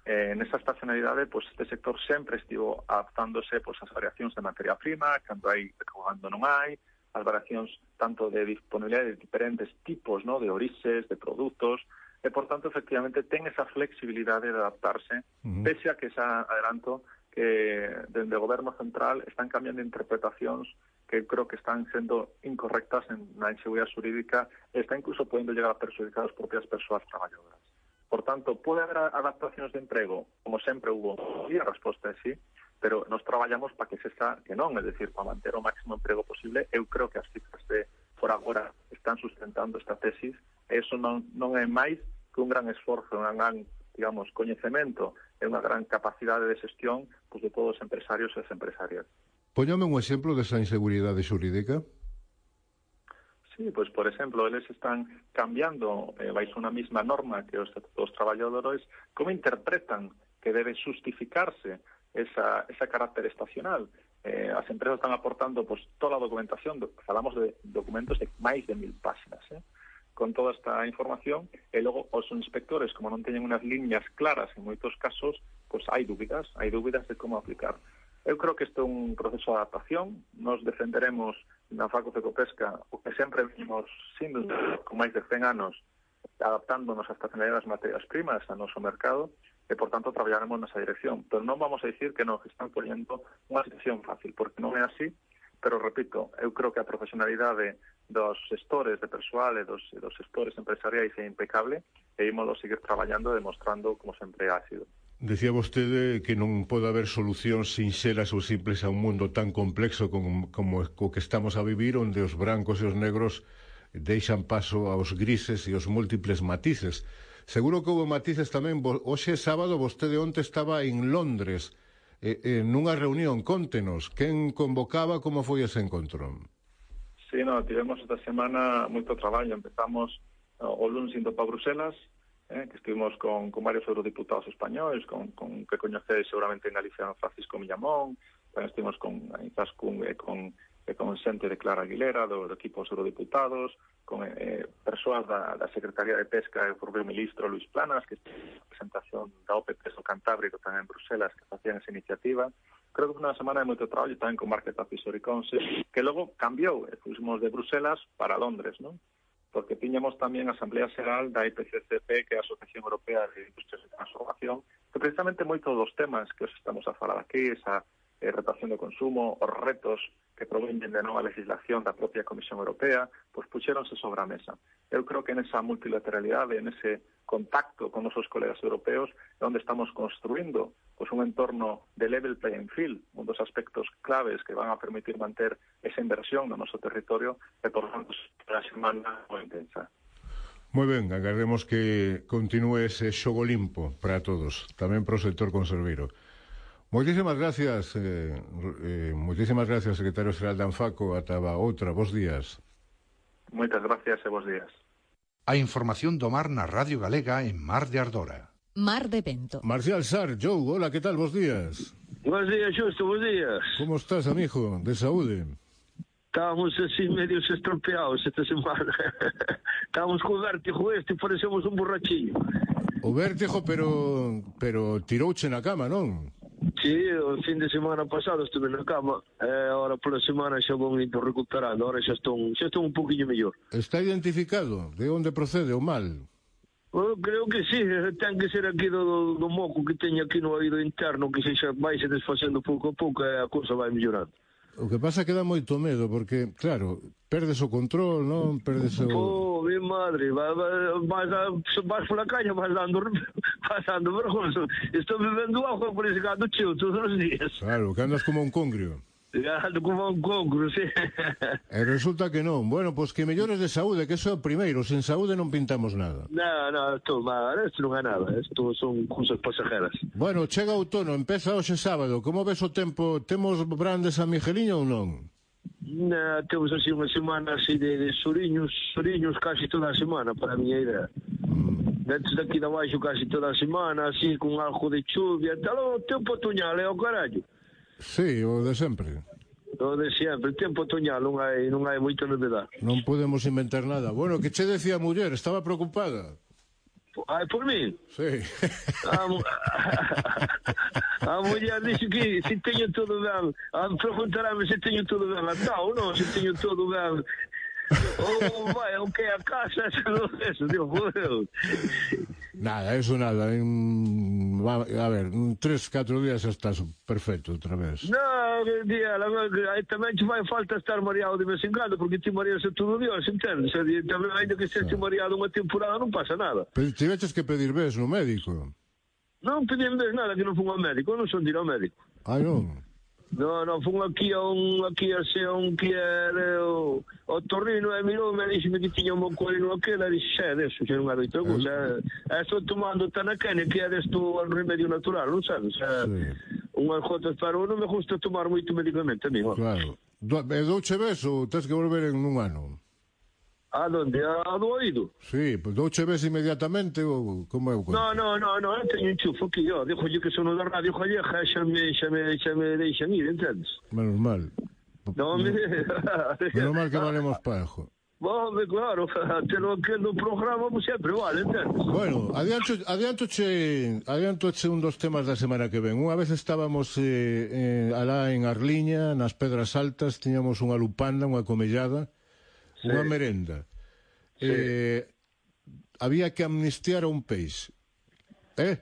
Eh, nesa estacionalidade, pues, este sector sempre estivo adaptándose pues, ás variacións de materia prima, cando hai, cando non hai, as variacións tanto de disponibilidade de diferentes tipos, ¿no?, de orixes, de produtos, e, por tanto, efectivamente, ten esa flexibilidade de adaptarse, uh-huh. pese a que xa adelanto que dende o goberno central están cambiando interpretacións que creo que están sendo incorrectas en na inseguridade xurídica e está incluso podendo llegar a perjudicar as propias persoas traballadoras. Por tanto, pode haber adaptacións de emprego, como sempre hubo, e a resposta é sí, pero nos traballamos para que se está, que non, é dicir, para manter o máximo emprego posible. Eu creo que as cifras de por agora están sustentando esta tesis, e iso non, non é máis que un gran esforzo, un gran, digamos, coñecemento e unha gran capacidade de xestión pues, de todos os empresarios e as empresarias. Póñame un exemplo desa inseguridade xurídica. Sí, pues por exemplo, eles están cambiando eh, baixo unha mesma norma que os, os traballadores, como interpretan que debe justificarse esa, esa carácter estacional. Eh, as empresas están aportando pues, toda a documentación, falamos de documentos de máis de mil páxinas, eh? con toda esta información, e logo os inspectores, como non teñen unhas liñas claras en moitos casos, pois hai dúbidas, hai dúbidas de como aplicar. Eu creo que isto é un proceso de adaptación. Nos defenderemos na Faco Fecopesca o que sempre vimos sindo con máis de cen anos adaptándonos a estacionalidade das materias primas ao noso mercado e, por tanto, traballaremos nesa dirección. Pero non vamos a dicir que nos están poñendo unha situación fácil, porque non é así. Pero, repito, eu creo que a profesionalidade dos gestores de persoal e dos, e dos gestores empresariais é impecable e ímolo seguir traballando e demostrando como sempre ha sido. Decía vostede que non pode haber solucións sinxelas ou simples a un mundo tan complexo como, como o que estamos a vivir, onde os brancos e os negros deixan paso aos grises e aos múltiples matices. Seguro que houve matices tamén. Hoxe sábado vostede onte estaba en Londres eh, eh, nunha reunión. Contenos, quen convocaba, como foi ese encontro? Sí, no, tivemos esta semana moito traballo. Empezamos o lunes indo para Bruselas, eh, que estivemos con, con varios eurodiputados españoles, con, con que coñecedes seguramente en Galicia Francisco Millamón, tamén estivemos con Izaskun e con, e con xente de Clara Aguilera, do, do equipo dos eurodiputados, con eh, persoas da, da Secretaría de Pesca e o propio ministro Luis Planas, que estivo na presentación da O P P do Cantábrico tamén en Bruselas, que facían esa iniciativa. Creo que foi unha semana de moito traballo tamén con Market Advisory Council, que logo cambiou, e fuimos de Bruselas para Londres, non? Porque tiñamos tamén a Asamblea Xeral da I P C C P, que é a Asociación Europea de Industrias de Transformación, que precisamente moitos dos temas que os estamos a falar aquí, esa eh, rotación do consumo, os retos que proveñen de nova legislación da propia Comisión Europea, pois puxéronse sobre a mesa. Eu creo que nesa multilateralidade, nese contacto con nosos colegas europeos, é onde estamos construindo pois un entorno de level playing field, un dos aspectos claves que van a permitir manter esa inversión no noso territorio e, por tanto, será semana moi intensa. Moi ben, agardemos que continúe ese xogo limpo para todos, tamén para o sector conserveiro. Moitísimas gracias, eh, eh, moitísimas gracias, secretario xeral da Anfaco. Ata outra, bons días. Moitas gracias e bons días. A información do mar na Radio Galega en Mar de Ardora. Mar de Vento. Marcial Sar, Joe, hola, que tal, bons días? Bons días, Xusto, bons días. Como estás, amigo, de saúde? Estábamos así medios estropeados esta semana. Estábamos con vértigo este e parecemos un borrachillo. O vértigo, pero pero tirouche na cama, non? Sí, o fin de semana pasado estuve na cama, e agora pola semana xa vou indo recuperando, agora xa estou, xa estou un poquinho mellor. Está identificado de onde procede o mal? Eu creo que sí, ten que ser aquí do, do, do moco que teño aquí no oído interno, que se xa vai se desfacendo pouco a pouco e a cousa vai mellorando. O que pasa é que dá moito medo, porque, claro, perdes o control, non? Perdes o... Oh, mi madre, vas, vas, vas pola caña, vas dando, vas dando vergonza. Estou bebendo agua por ese gato cheo todos os días. Claro, que andas como un congrio. Ando como un congrio, sí. E resulta que non. Bueno, pois que mellores de saúde, que eso é o primeiro. Sen saúde non pintamos nada. Non, non, estou mal, isto non é nada. Isto son cousas pasajeras. Bueno, chega outono, empeza hoxe sábado. Como ves o tempo? Temos brandes a Migueliño ou non? Non, temos así unha semana así de, de soriños, soriños casi toda a semana, para a miña idea. Mm. Dentro daqui de abaixo casi toda a semana, así, con algo de chuvia. Tal, o tempo otoñal é o carallo. Sí, o de sempre. O de sempre, o tempo otoñal, non hai, non hai moita novedade. Non podemos inventar nada. Bueno, que che decía a muller? Estaba preocupada. Ai, por mí? Sí. A, a muller dixe que se teño todo ben, a preguntarame se teño todo ben atado, non? Se teño todo ben... Oh, vai, o que a casa, eso, Dios, joder. Nada, eso nada. En, a ver, en tres, catro días estás perfecto outra vez. Non, día, tamén te vai falta estar mareado de vez en cando, porque ti mareas todo Dios, entendes? Tamén, ainda que estés mareado unha temporada, non pasa nada. Pero tiveches que pedir ves no médico? Non pedí ves nada, que non fun ao médico, non son de ir ao médico. Ah, non? Non, non, fun aquí a un, aquí a ser un que era o, o Torrino e mirou me dixeme que tiña un mocolino aquel, e dixe, xa, deso, xa non hai outra cousa, e estou tomando Tanaquene, que é desto un remedio natural, non sabes? Xa, sí. Unhas gotas para non me gusta tomar moito medicamento, amigo. Claro. E douche ves ou tens que volver en un ano? A donde? A do oído? Sí, pues douche ves inmediatamente ou como é o conto? No, no, no, no, eu teño un chufo aquí, yo, dixo yo que son da radio gallega, xa me, xa me, xa me deixan ir, entendes? Menos mal. No, me... Menos mal que valemos pajo. Home, claro, telo aquel no programa pues, sempre vale, entendes? Bueno, adianto, adiantoche, adiantoche un dos temas da semana que ven. Unha vez estábamos eh, eh, alá en Arliña, nas Pedras Altas, tiñamos unha lupanda, unha comellada, sí. Unha merenda. Sí. Eh, había que amnistiar a un peixe. Eh?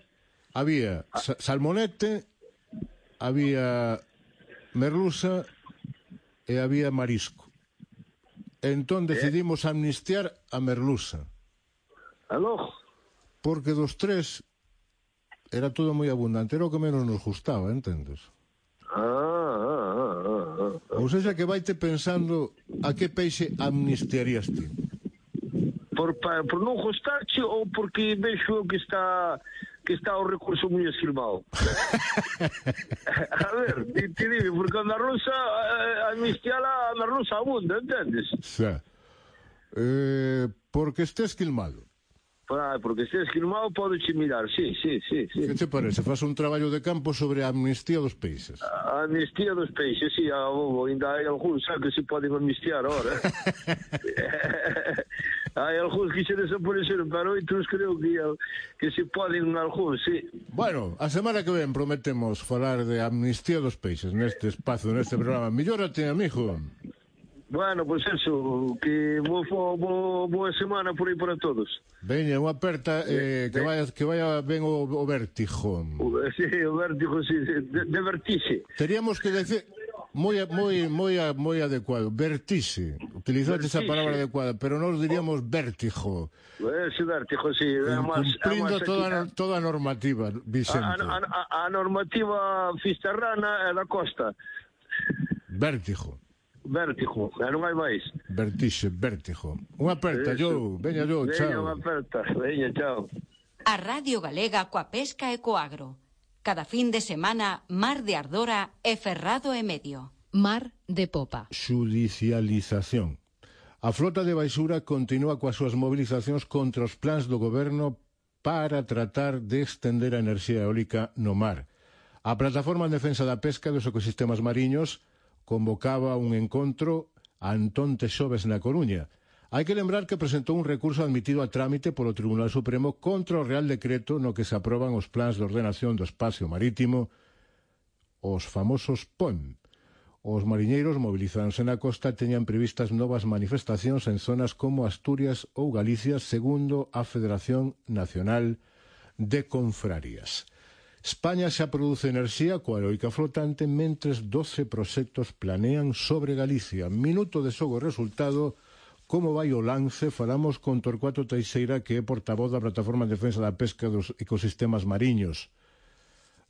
Había sa salmonete, había merluza e había marisco. Entón decidimos amnistiar a merluza. Aló? Porque dos tres era todo moi abundante, era o que menos nos gustaba, entendes? Ah, ah, ah, ah. Ou seja que vaite pensando a que peixe amnistiarías ti. Por, por non gustarche ou porque vexo que está que está o recurso moi esquilmado? A ver, ti, ti dime, porque a merluza, a amnistiala, a merluza abunda, entendes? Xa. Eh, porque este esquilmado. Ah, porque este esquilmado podeche mirar, sí, sí, sí, sí. Que te parece? Faz un traballo de campo sobre a amnistía dos peixes. A amnistía dos peixes, sí, a bobo, ainda hai algúns que se poden amnistiar ahora. Hai algúns que se desapareceron, pero outros creo que, que se poden algúns, sí. Bueno, a semana que ven prometemos falar de amnistía dos peixes neste espazo, neste programa. Millórate, amigo. Bueno, pois pues eso, que boa, boa, boa semana por aí para todos. Veña, unha aperta, eh, que, vaya, que vaya ben o, o vértigo. Sí, o vértigo, sí, de, de vertixe. Teríamos que decir... Moi, moi, moi, moi adecuado. Vertixe. Utilizaste esa palabra adecuada, pero nós diríamos vértigo. Ese vértigo, sí. Cumprindo toda, toda a normativa vigente. A, a, a normativa fisterrana é da costa. Vértigo. Vértigo, e non hai máis. Vertixe, vértigo. Unha aperta, yo. Veña, yo, chao. Veña, unha aperta. Veña, chao. A Radio Galega coa pesca e co agro. Cada fin de semana, Mar de Ardora e Ferrado e Medio. Mar de Popa. Judicialización. A flota de baixura continúa coas súas movilizacións contra os plans do goberno para tratar de estender a enerxía eólica no mar. A Plataforma en Defensa da Pesca e dos Ecosistemas Mariños convocaba un encontro Antón Texoves na Coruña. Hai que lembrar que presentou un recurso admitido a trámite polo Tribunal Supremo contra o Real Decreto no que se aproban os plans de ordenación do espacio marítimo, os famosos P O M. Os mariñeiros movilizándose na costa teñan previstas novas manifestacións en zonas como Asturias ou Galicia, segundo a Federación Nacional de Confrarías. España xa produce enerxía coa eólica flotante, mentres doce proxectos planean sobre Galicia. Minuto de xogo resultado. Como vai o lance? Falamos con Torcuato Teixeira, que é portavoz da Plataforma en Defensa da Pesca dos Ecosistemas Mariños,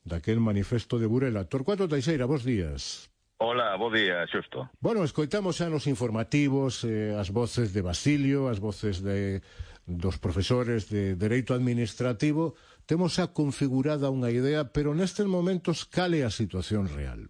daquel manifesto de Burela. Torcuato Teixeira, bons días. Hola, bons días, xusto. Bueno, escoitamos xa nos informativos eh, as voces de Basilio, as voces de, dos profesores de Dereito Administrativo. Temos xa configurada unha idea, pero nestes momentos, cal é a situación real?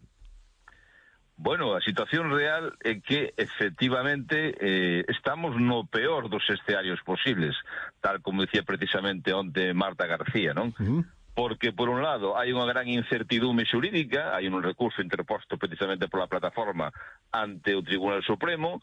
Bueno, a situación real é que, efectivamente, eh, estamos no peor dos escenarios posibles, tal como dicía precisamente onte Marta García, non? Uh-huh. Porque, por un lado, hai unha gran incertidume xurídica, hai un recurso interposto precisamente pola plataforma ante o Tribunal Supremo,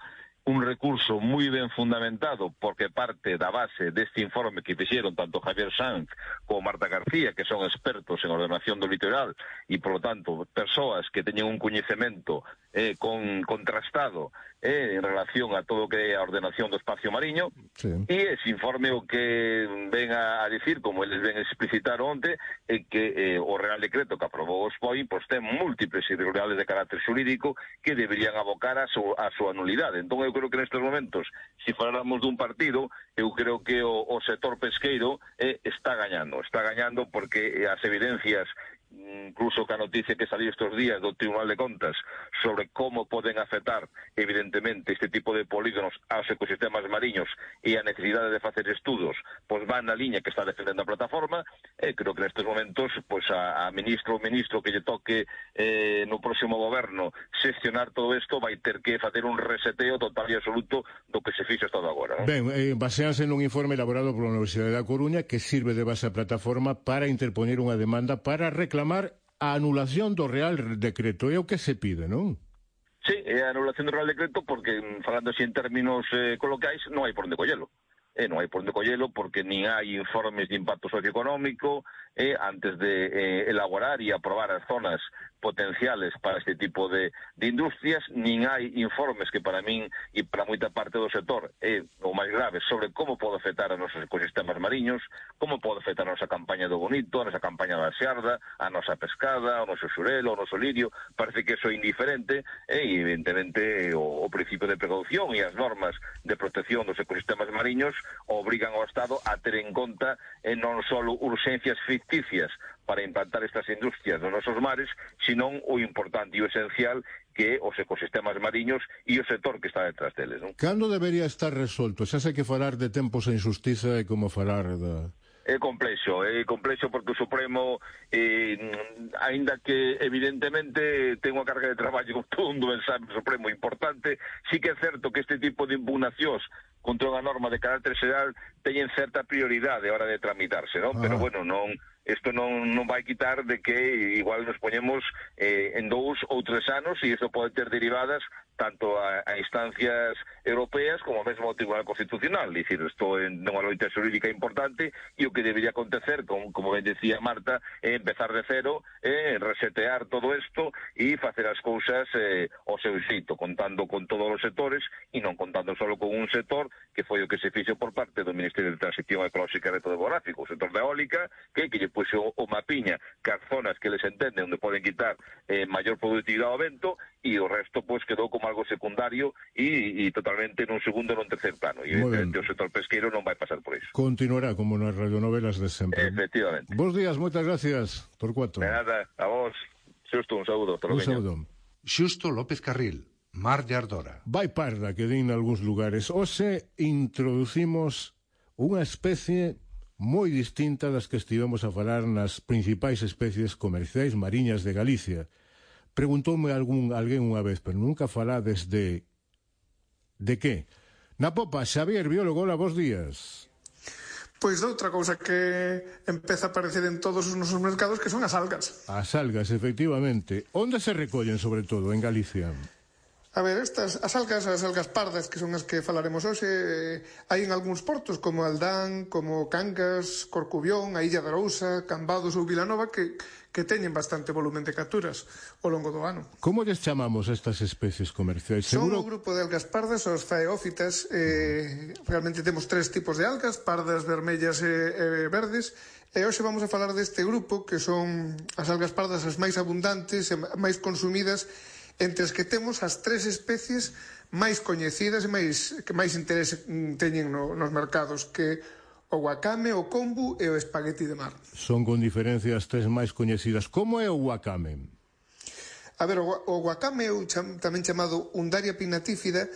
un recurso moi ben fundamentado porque parte da base deste informe que fixeron tanto Javier Sanz como Marta García, que son expertos en ordenación do litoral e, por lo tanto, persoas que teñen un coñecemento eh, con, contrastado eh, en relación a todo o que é a ordenación do espacio mariño. Sí. E ese informe o que ven a, a dicir, como eles ven explicitar onte, é que eh, o Real Decreto que aprobou os P O I pois ten múltiples irregularidades de carácter xurídico que deberían abocar a, su, a súa nulidade. Entón, eu creo que nestes momentos, se faláramos dun partido, eu creo que o, o sector pesqueiro eh, está gañando. Está gañando porque as evidencias, incluso que a noticia que salió estes días do Tribunal de Contas sobre como poden afectar, evidentemente, este tipo de polígonos aos ecosistemas mariños e a necesidade de facer estudos, pois van na liña que está defendendo a plataforma. E creo que nestes momentos, pois a, a ministro ou ministro que lle toque eh, no próximo goberno xestionar todo isto vai ter que facer un reseteo total e absoluto do que se fixe hasta agora, non? Ben, eh, baseanse nun informe elaborado pola Universidade da Coruña que sirve de base a plataforma para interpoñer unha demanda para reclamar a anulación do Real Decreto. É o que se pide, non? Sí, é a anulación do Real Decreto porque, falando así en términos eh, coloquiais, non hai por onde collelo. Eh, non hai por onde collelo porque nin hai informes de impacto socioeconómico eh, antes de eh, elaborar e aprobar as zonas potenciales para este tipo de, de industrias, nin hai informes que para min e para moita parte do sector é o máis grave sobre como pode afectar a nosos ecosistemas mariños, como pode afectar a nosa campaña do bonito, a nosa campaña da xarda, a nosa pescada, o noso xurelo, o noso lirio. Parece que eso é indiferente e evidentemente o, o principio de precaución e as normas de protección dos ecosistemas mariños obrigan ao Estado a ter en conta eh, non só urxencias ficticias para implantar estas industrias nos nosos mares, senón o importante e o esencial que é os ecosistemas mariños e o sector que está detrás deles, non? Cando debería estar resolto? Xa sei que falar de tempos en xustiza é como falar da... É complexo, é complexo porque o Supremo, eh, aínda que evidentemente ten unha carga de traballo como todo mundo ben sabe, o Supremo importante, sí que é certo que este tipo de impugnacións contra unha norma de carácter xeral teñen certa prioridade a hora de tramitarse, non? Ah. Pero bueno, non... Isto non, non vai quitar de que igual nos poñemos eh, en dous ou tres anos e isto pode ter derivadas tanto a, a instancias europeas como mesmo ao Tribunal Constitucional. Dicir, isto é unha loita xurídica importante e o que debería acontecer, como, como ben decía Marta, é empezar de cero, eh, resetear todo isto e facer as cousas eh, ao seu xeito, contando con todos os sectores e non contando só con un sector que foi o que se fixo por parte do Ministerio de Transición Ecolóxica e Reto Demográfico, o sector da eólica, que, que lle puxo o mapiña que as zonas que les entenden onde poden quitar eh, maior productividade ao vento e o resto pois quedou como algo secundario e, e totalmente nun segundo e nun tercer plano e evidentemente o sector pesqueiro non vai pasar por iso. Continuará como nas radionovelas de sempre. Efectivamente. Bos días, moitas gracias, Torcuato. De nada, a vos. Xusto, un saúdo. Un saúdo. Xusto López Carril, Mar de Ardora. Vai parda que din nalgúns lugares. Hoxe introducimos unha especie moi distinta das que estivemos a falar nas principais especies comerciais mariñas de Galicia. Preguntoume algún alguén unha vez, pero nunca falades de... De que? Na popa, Xavier, biólogo, hola, bos días. Pois outra cousa que empeza a aparecer en todos os nosos mercados que son as algas. As algas, efectivamente. Onde se recollen, sobre todo, en Galicia? A ver, estas, as algas, as algas pardas, que son as que falaremos hoxe, eh, hai en algúns portos, como Aldán, como Cangas, Corcubión, a Illa de Arousa, Cambados ou Vilanova, que, que teñen bastante volumen de capturas ao longo do ano. Como lles chamamos estas especies comerciais? Seguro... Son o grupo de algas pardas, os faeófitas. Eh, realmente temos tres tipos de algas, pardas, vermellas e, e verdes, e hoxe vamos a falar deste grupo, que son as algas pardas as máis abundantes e máis consumidas, entre as que temos as tres especies máis coñecidas e máis, que máis interés teñen no, nos mercados, que o wakame, o kombu e o espagueti de mar. Son con diferencia as tres máis coñecidas. Como é o wakame? A ver, o, o wakame, o cham, tamén chamado Undaria pinnatifida,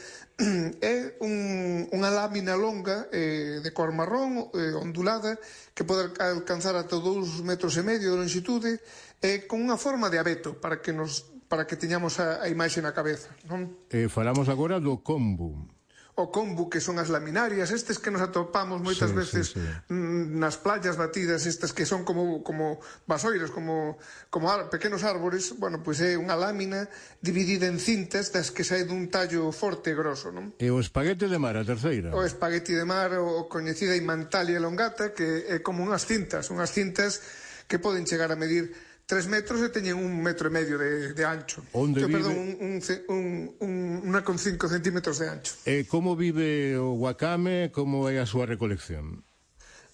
é un, unha lámina longa eh, de cor marrón, eh, ondulada, que pode alcanzar ata dous metros e medio de longitude, eh, con unha forma de abeto, para que nos para que teñamos a, a imaxe na cabeza, non? Eh, falamos agora do kombu. O kombu, que son as laminarias, estes que nos atopamos moitas sí, veces sí, sí. nas playas batidas, estas que son como, como vasoiras, como, como ar, pequenos árbores. Bueno, pois é unha lámina dividida en cintas das que sai dun tallo forte e grosso, non? E o espaguete de mar, a terceira? O espagueti de mar, o coñecida Imantalia elongata, que é como unhas cintas, unhas cintas que poden chegar a medir tres metros e teñen un metro e medio de, de ancho. Onde Yo, vive? Perdón, un, un, un, unha con cinco centímetros de ancho. E como vive o wakame, como é a súa recolección?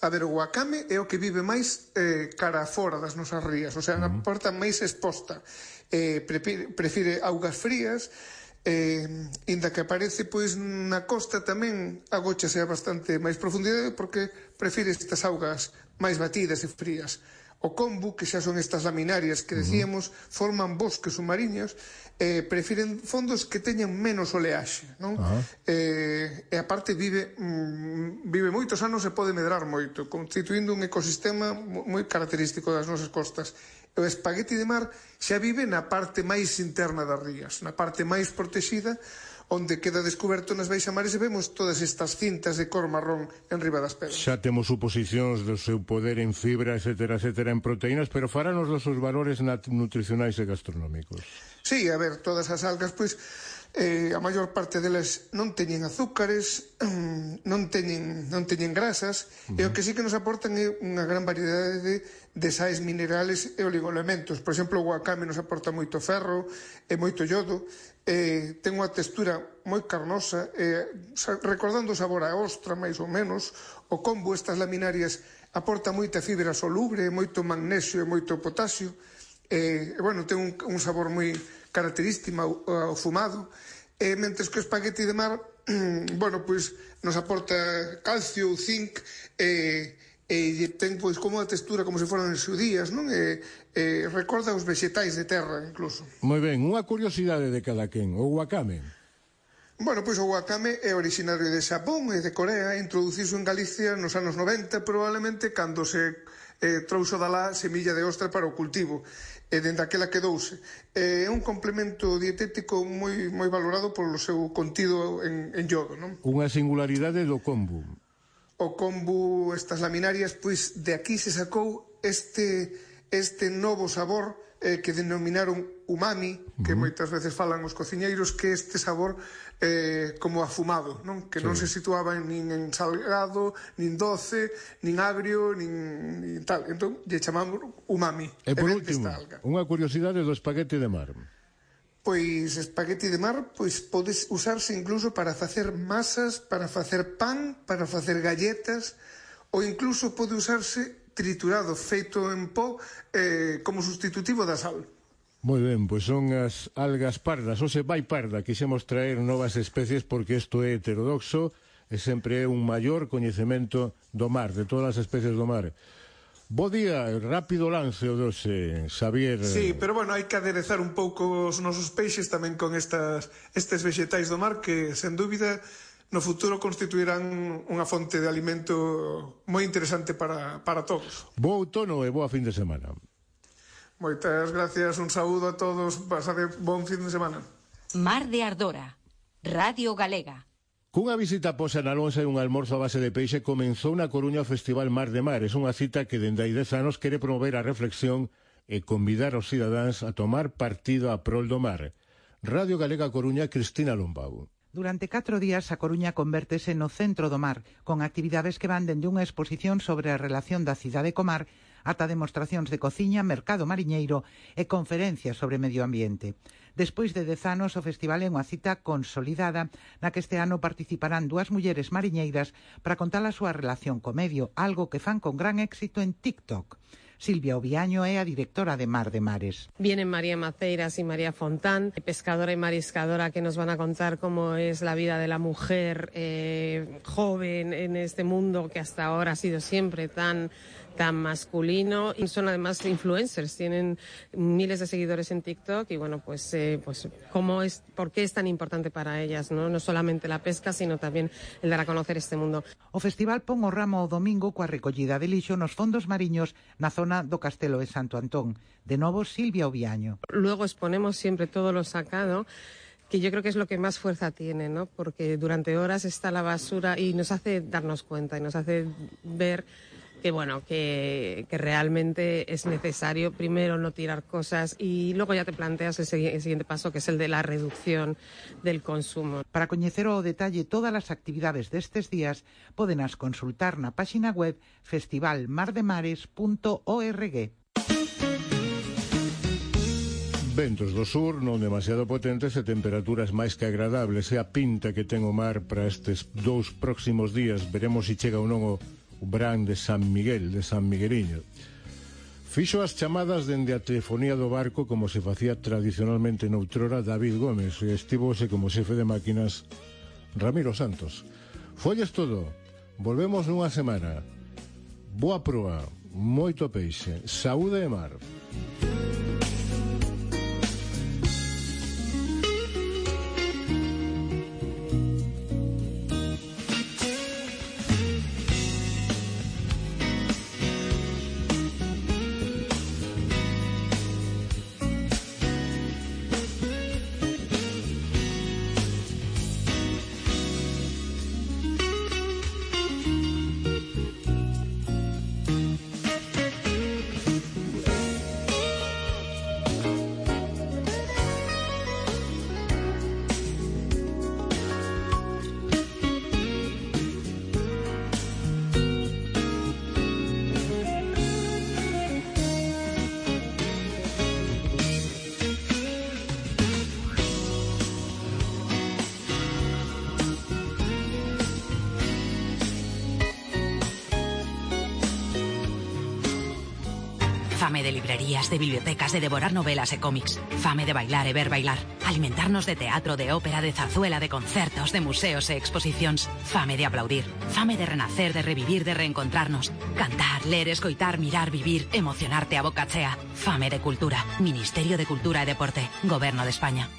A ver, o wakame é o que vive máis eh, cara fora das nosas rías, o sea, uh -huh. na porta máis exposta. Eh, prefire, prefire augas frías, eh, inda que aparece pois na costa tamén agóchase a bastante máis profundidade porque prefire estas augas máis batidas e frías. O kombu, que xa son estas laminarias que decíamos, uh-huh. forman bosques submariños, eh, prefiren fondos que teñan menos oleaxe, non? Uh-huh. Eh, e aparte vive mm, vive moitos anos e pode medrar moito, constituindo un ecosistema moi característico das nosas costas. O espagueti de mar xa vive na parte máis interna das rías, na parte máis protexida, onde queda descoberto nas baixamares e vemos todas estas cintas de cor marrón en riba das pedras. Xa temos suposicións do seu poder en fibra, etcétera, etcétera, en proteínas, pero faranos dos seus valores nutricionais e gastronómicos. Sí, a ver, todas as algas, pois, eh, a maior parte delas non teñen azúcares, non teñen, non teñen grasas, uh-huh. e o que sí que nos aportan é unha gran variedade de, de sais minerales e oligoelementos. Por exemplo, o wakame nos aporta moito ferro e moito iodo, eh, ten unha textura moi carnosa, eh, recordando o sabor a ostra, máis ou menos. O kombu, estas laminarias, aporta moita fibra soluble, moito magnesio e moito potasio, e, eh, bueno, ten un, un sabor moi característica ao fumado, e mentres que o espagueti de mar, bueno, pois nos aporta calcio, zinc, e, e ten pois como a textura como se foran xudías, non? E, e recorda os vegetais de terra, incluso. Moi ben, unha curiosidade de cada quen, o wakame. Bueno, pois o wakame é originario de Xapón e de Corea, introduciso en Galicia nos anos noventa, probablemente cando se eh, trouxo da lá semilla de ostra para o cultivo, e dende aquela quedouse. É un complemento dietético moi moi valorado polo seu contido en, en iodo, non? Unha singularidade do kombu. O kombu, estas laminarias, pois de aquí se sacou este este novo sabor eh, que denominaron umami, que uh-huh. moitas veces falan os cociñeiros, que este sabor eh, como afumado, non? Que sí. non se situaba nin en salgado, nin doce, nin agrio, nin, nin tal. Entón, lle chamamos umami. E por último, unha curiosidade do espaguete de mar. Pois espagueti de mar, pois podes usarse incluso para facer masas, para facer pan, para facer galletas, ou incluso pode usarse triturado, feito en pó, eh, como sustitutivo da sal. Moi ben, pois son as algas pardas, ou se vai parda, quixemos traer novas especies porque isto é heterodoxo e sempre é un maior coñecemento do mar, de todas as especies do mar. Bo día, rápido lance o doce, Xavier. Sí, pero bueno, hai que aderezar un pouco os nosos peixes tamén con estas estes vegetais do mar que, sen dúbida, no futuro constituirán unha fonte de alimento moi interesante para, para todos. Bo outono e boa fin de semana. Moitas gracias, un saúdo a todos, pasade bon fin de semana. Mar de Ardora, Radio Galega. Cunha visita a Posa na Lonxa e un almorzo a base de peixe comenzou na Coruña o Festival Mar de Mares, unha cita que dende hai dez anos quere promover a reflexión e convidar aos cidadáns a tomar partido a prol do mar. Radio Galega Coruña, Cristina Lombau. Durante catro días a Coruña convértese no centro do mar, con actividades que van dende unha exposición sobre a relación da cidade co mar ata demostracións de cociña, mercado mariñeiro e conferencias sobre medio ambiente. Despois de dez anos, o festival é unha cita consolidada na que este ano participarán dúas mulleres mariñeiras para contar a súa relación co medio, algo que fan con gran éxito en TikTok. Silvia Oviaño é a directora de Mar de Mares. Vienen María Maceiras y María Fontán, pescadora y mariscadora, que nos van a contar cómo es la vida de la mujer eh, joven en este mundo que hasta ahora ha sido siempre tan tan masculino. Y son además influencers, tienen miles de seguidores en TikTok y bueno, pues, eh, pues cómo es, por qué es tan importante para ellas, ¿no? No solamente la pesca, sino también el dar a conocer este mundo. O festival pon o ramo o domingo coa recollida de lixo nos fondos mariños na zona do Castelo de Santo Antón. De novo, Silvia Oviaño. Luego exponemos siempre todo lo sacado, que yo creo que es lo que más fuerza tiene, ¿no? Porque durante horas está la basura y nos hace darnos cuenta y nos hace ver que bueno, que, que realmente es necesario primero no tirar cosas y luego ya te planteas el, segui el siguiente paso, que es el de la reducción del consumo. Para coñecer ao detalle todas as actividades destes días, podenas consultar na páxina web festival mar de mares punto org. Ventos do sur, non demasiado potentes e temperaturas máis que agradables. E a pinta que ten o mar para estes dous próximos días, veremos se chega ou non o o Brán de San Miguel, de San Migueliño. Fixo as chamadas dende a telefonía do barco como se facía tradicionalmente noutrora David Gómez e estivose como xefe de máquinas Ramiro Santos. Folles todo, volvemos nunha semana. Boa proa, moito peixe, saúde e mar. Fame de librerías, de bibliotecas, de devorar novelas e cómics. Fame de bailar e ver bailar. Alimentarnos de teatro, de ópera, de zarzuela, de concertos, de museos e exposicións. Fame de aplaudir. Fame de renacer, de revivir, de reencontrarnos. Cantar, ler, escoitar, mirar, vivir, emocionarte a boca chea. Fame de cultura. Ministerio de Cultura e Deporte. Gobierno de España.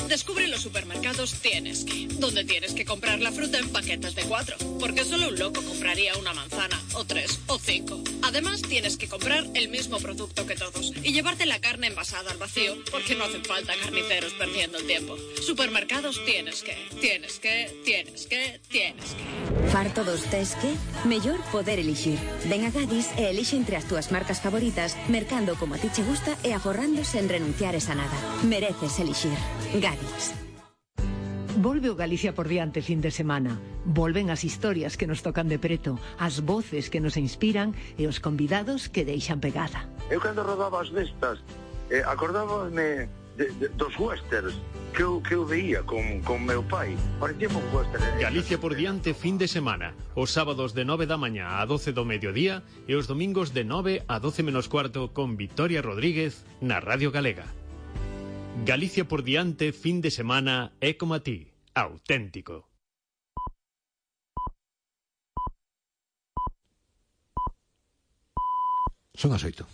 Descubre los supermercados Tienes Que, donde tienes que comprar la fruta en paquetes de cuatro, porque solo un loco compraría una manzana, o tres, o cinco. Además, tienes que comprar el mismo producto que todos y llevarte la carne envasada al vacío, porque no hacen falta carniceros perdiendo el tiempo. Supermercados Tienes Que, tienes que, tienes que, tienes que. Farto dos tes que? Mellor poder elixir. Ven a Gadis e elixe entre as túas marcas favoritas, mercando como a ti che gusta e aforrando sen renunciares a nada. Mereces elixir. Gadis. Volve o Galicia por diante fin de semana. Volven as historias que nos tocan de preto, as voces que nos inspiran e os convidados que deixan pegada. Eu cando rodaba as destas, eh, acordábame de, de, dos westerns que eu, que eu veía con, con meu pai. Parecía un western. Eh? Galicia por diante fin de semana. Os sábados de nove da mañá a doce do mediodía e os domingos de nove a doce menos cuarto con Victoria Rodríguez na Radio Galega. Galicia por diante fin de semana é como a ti, auténtico. Son as oito.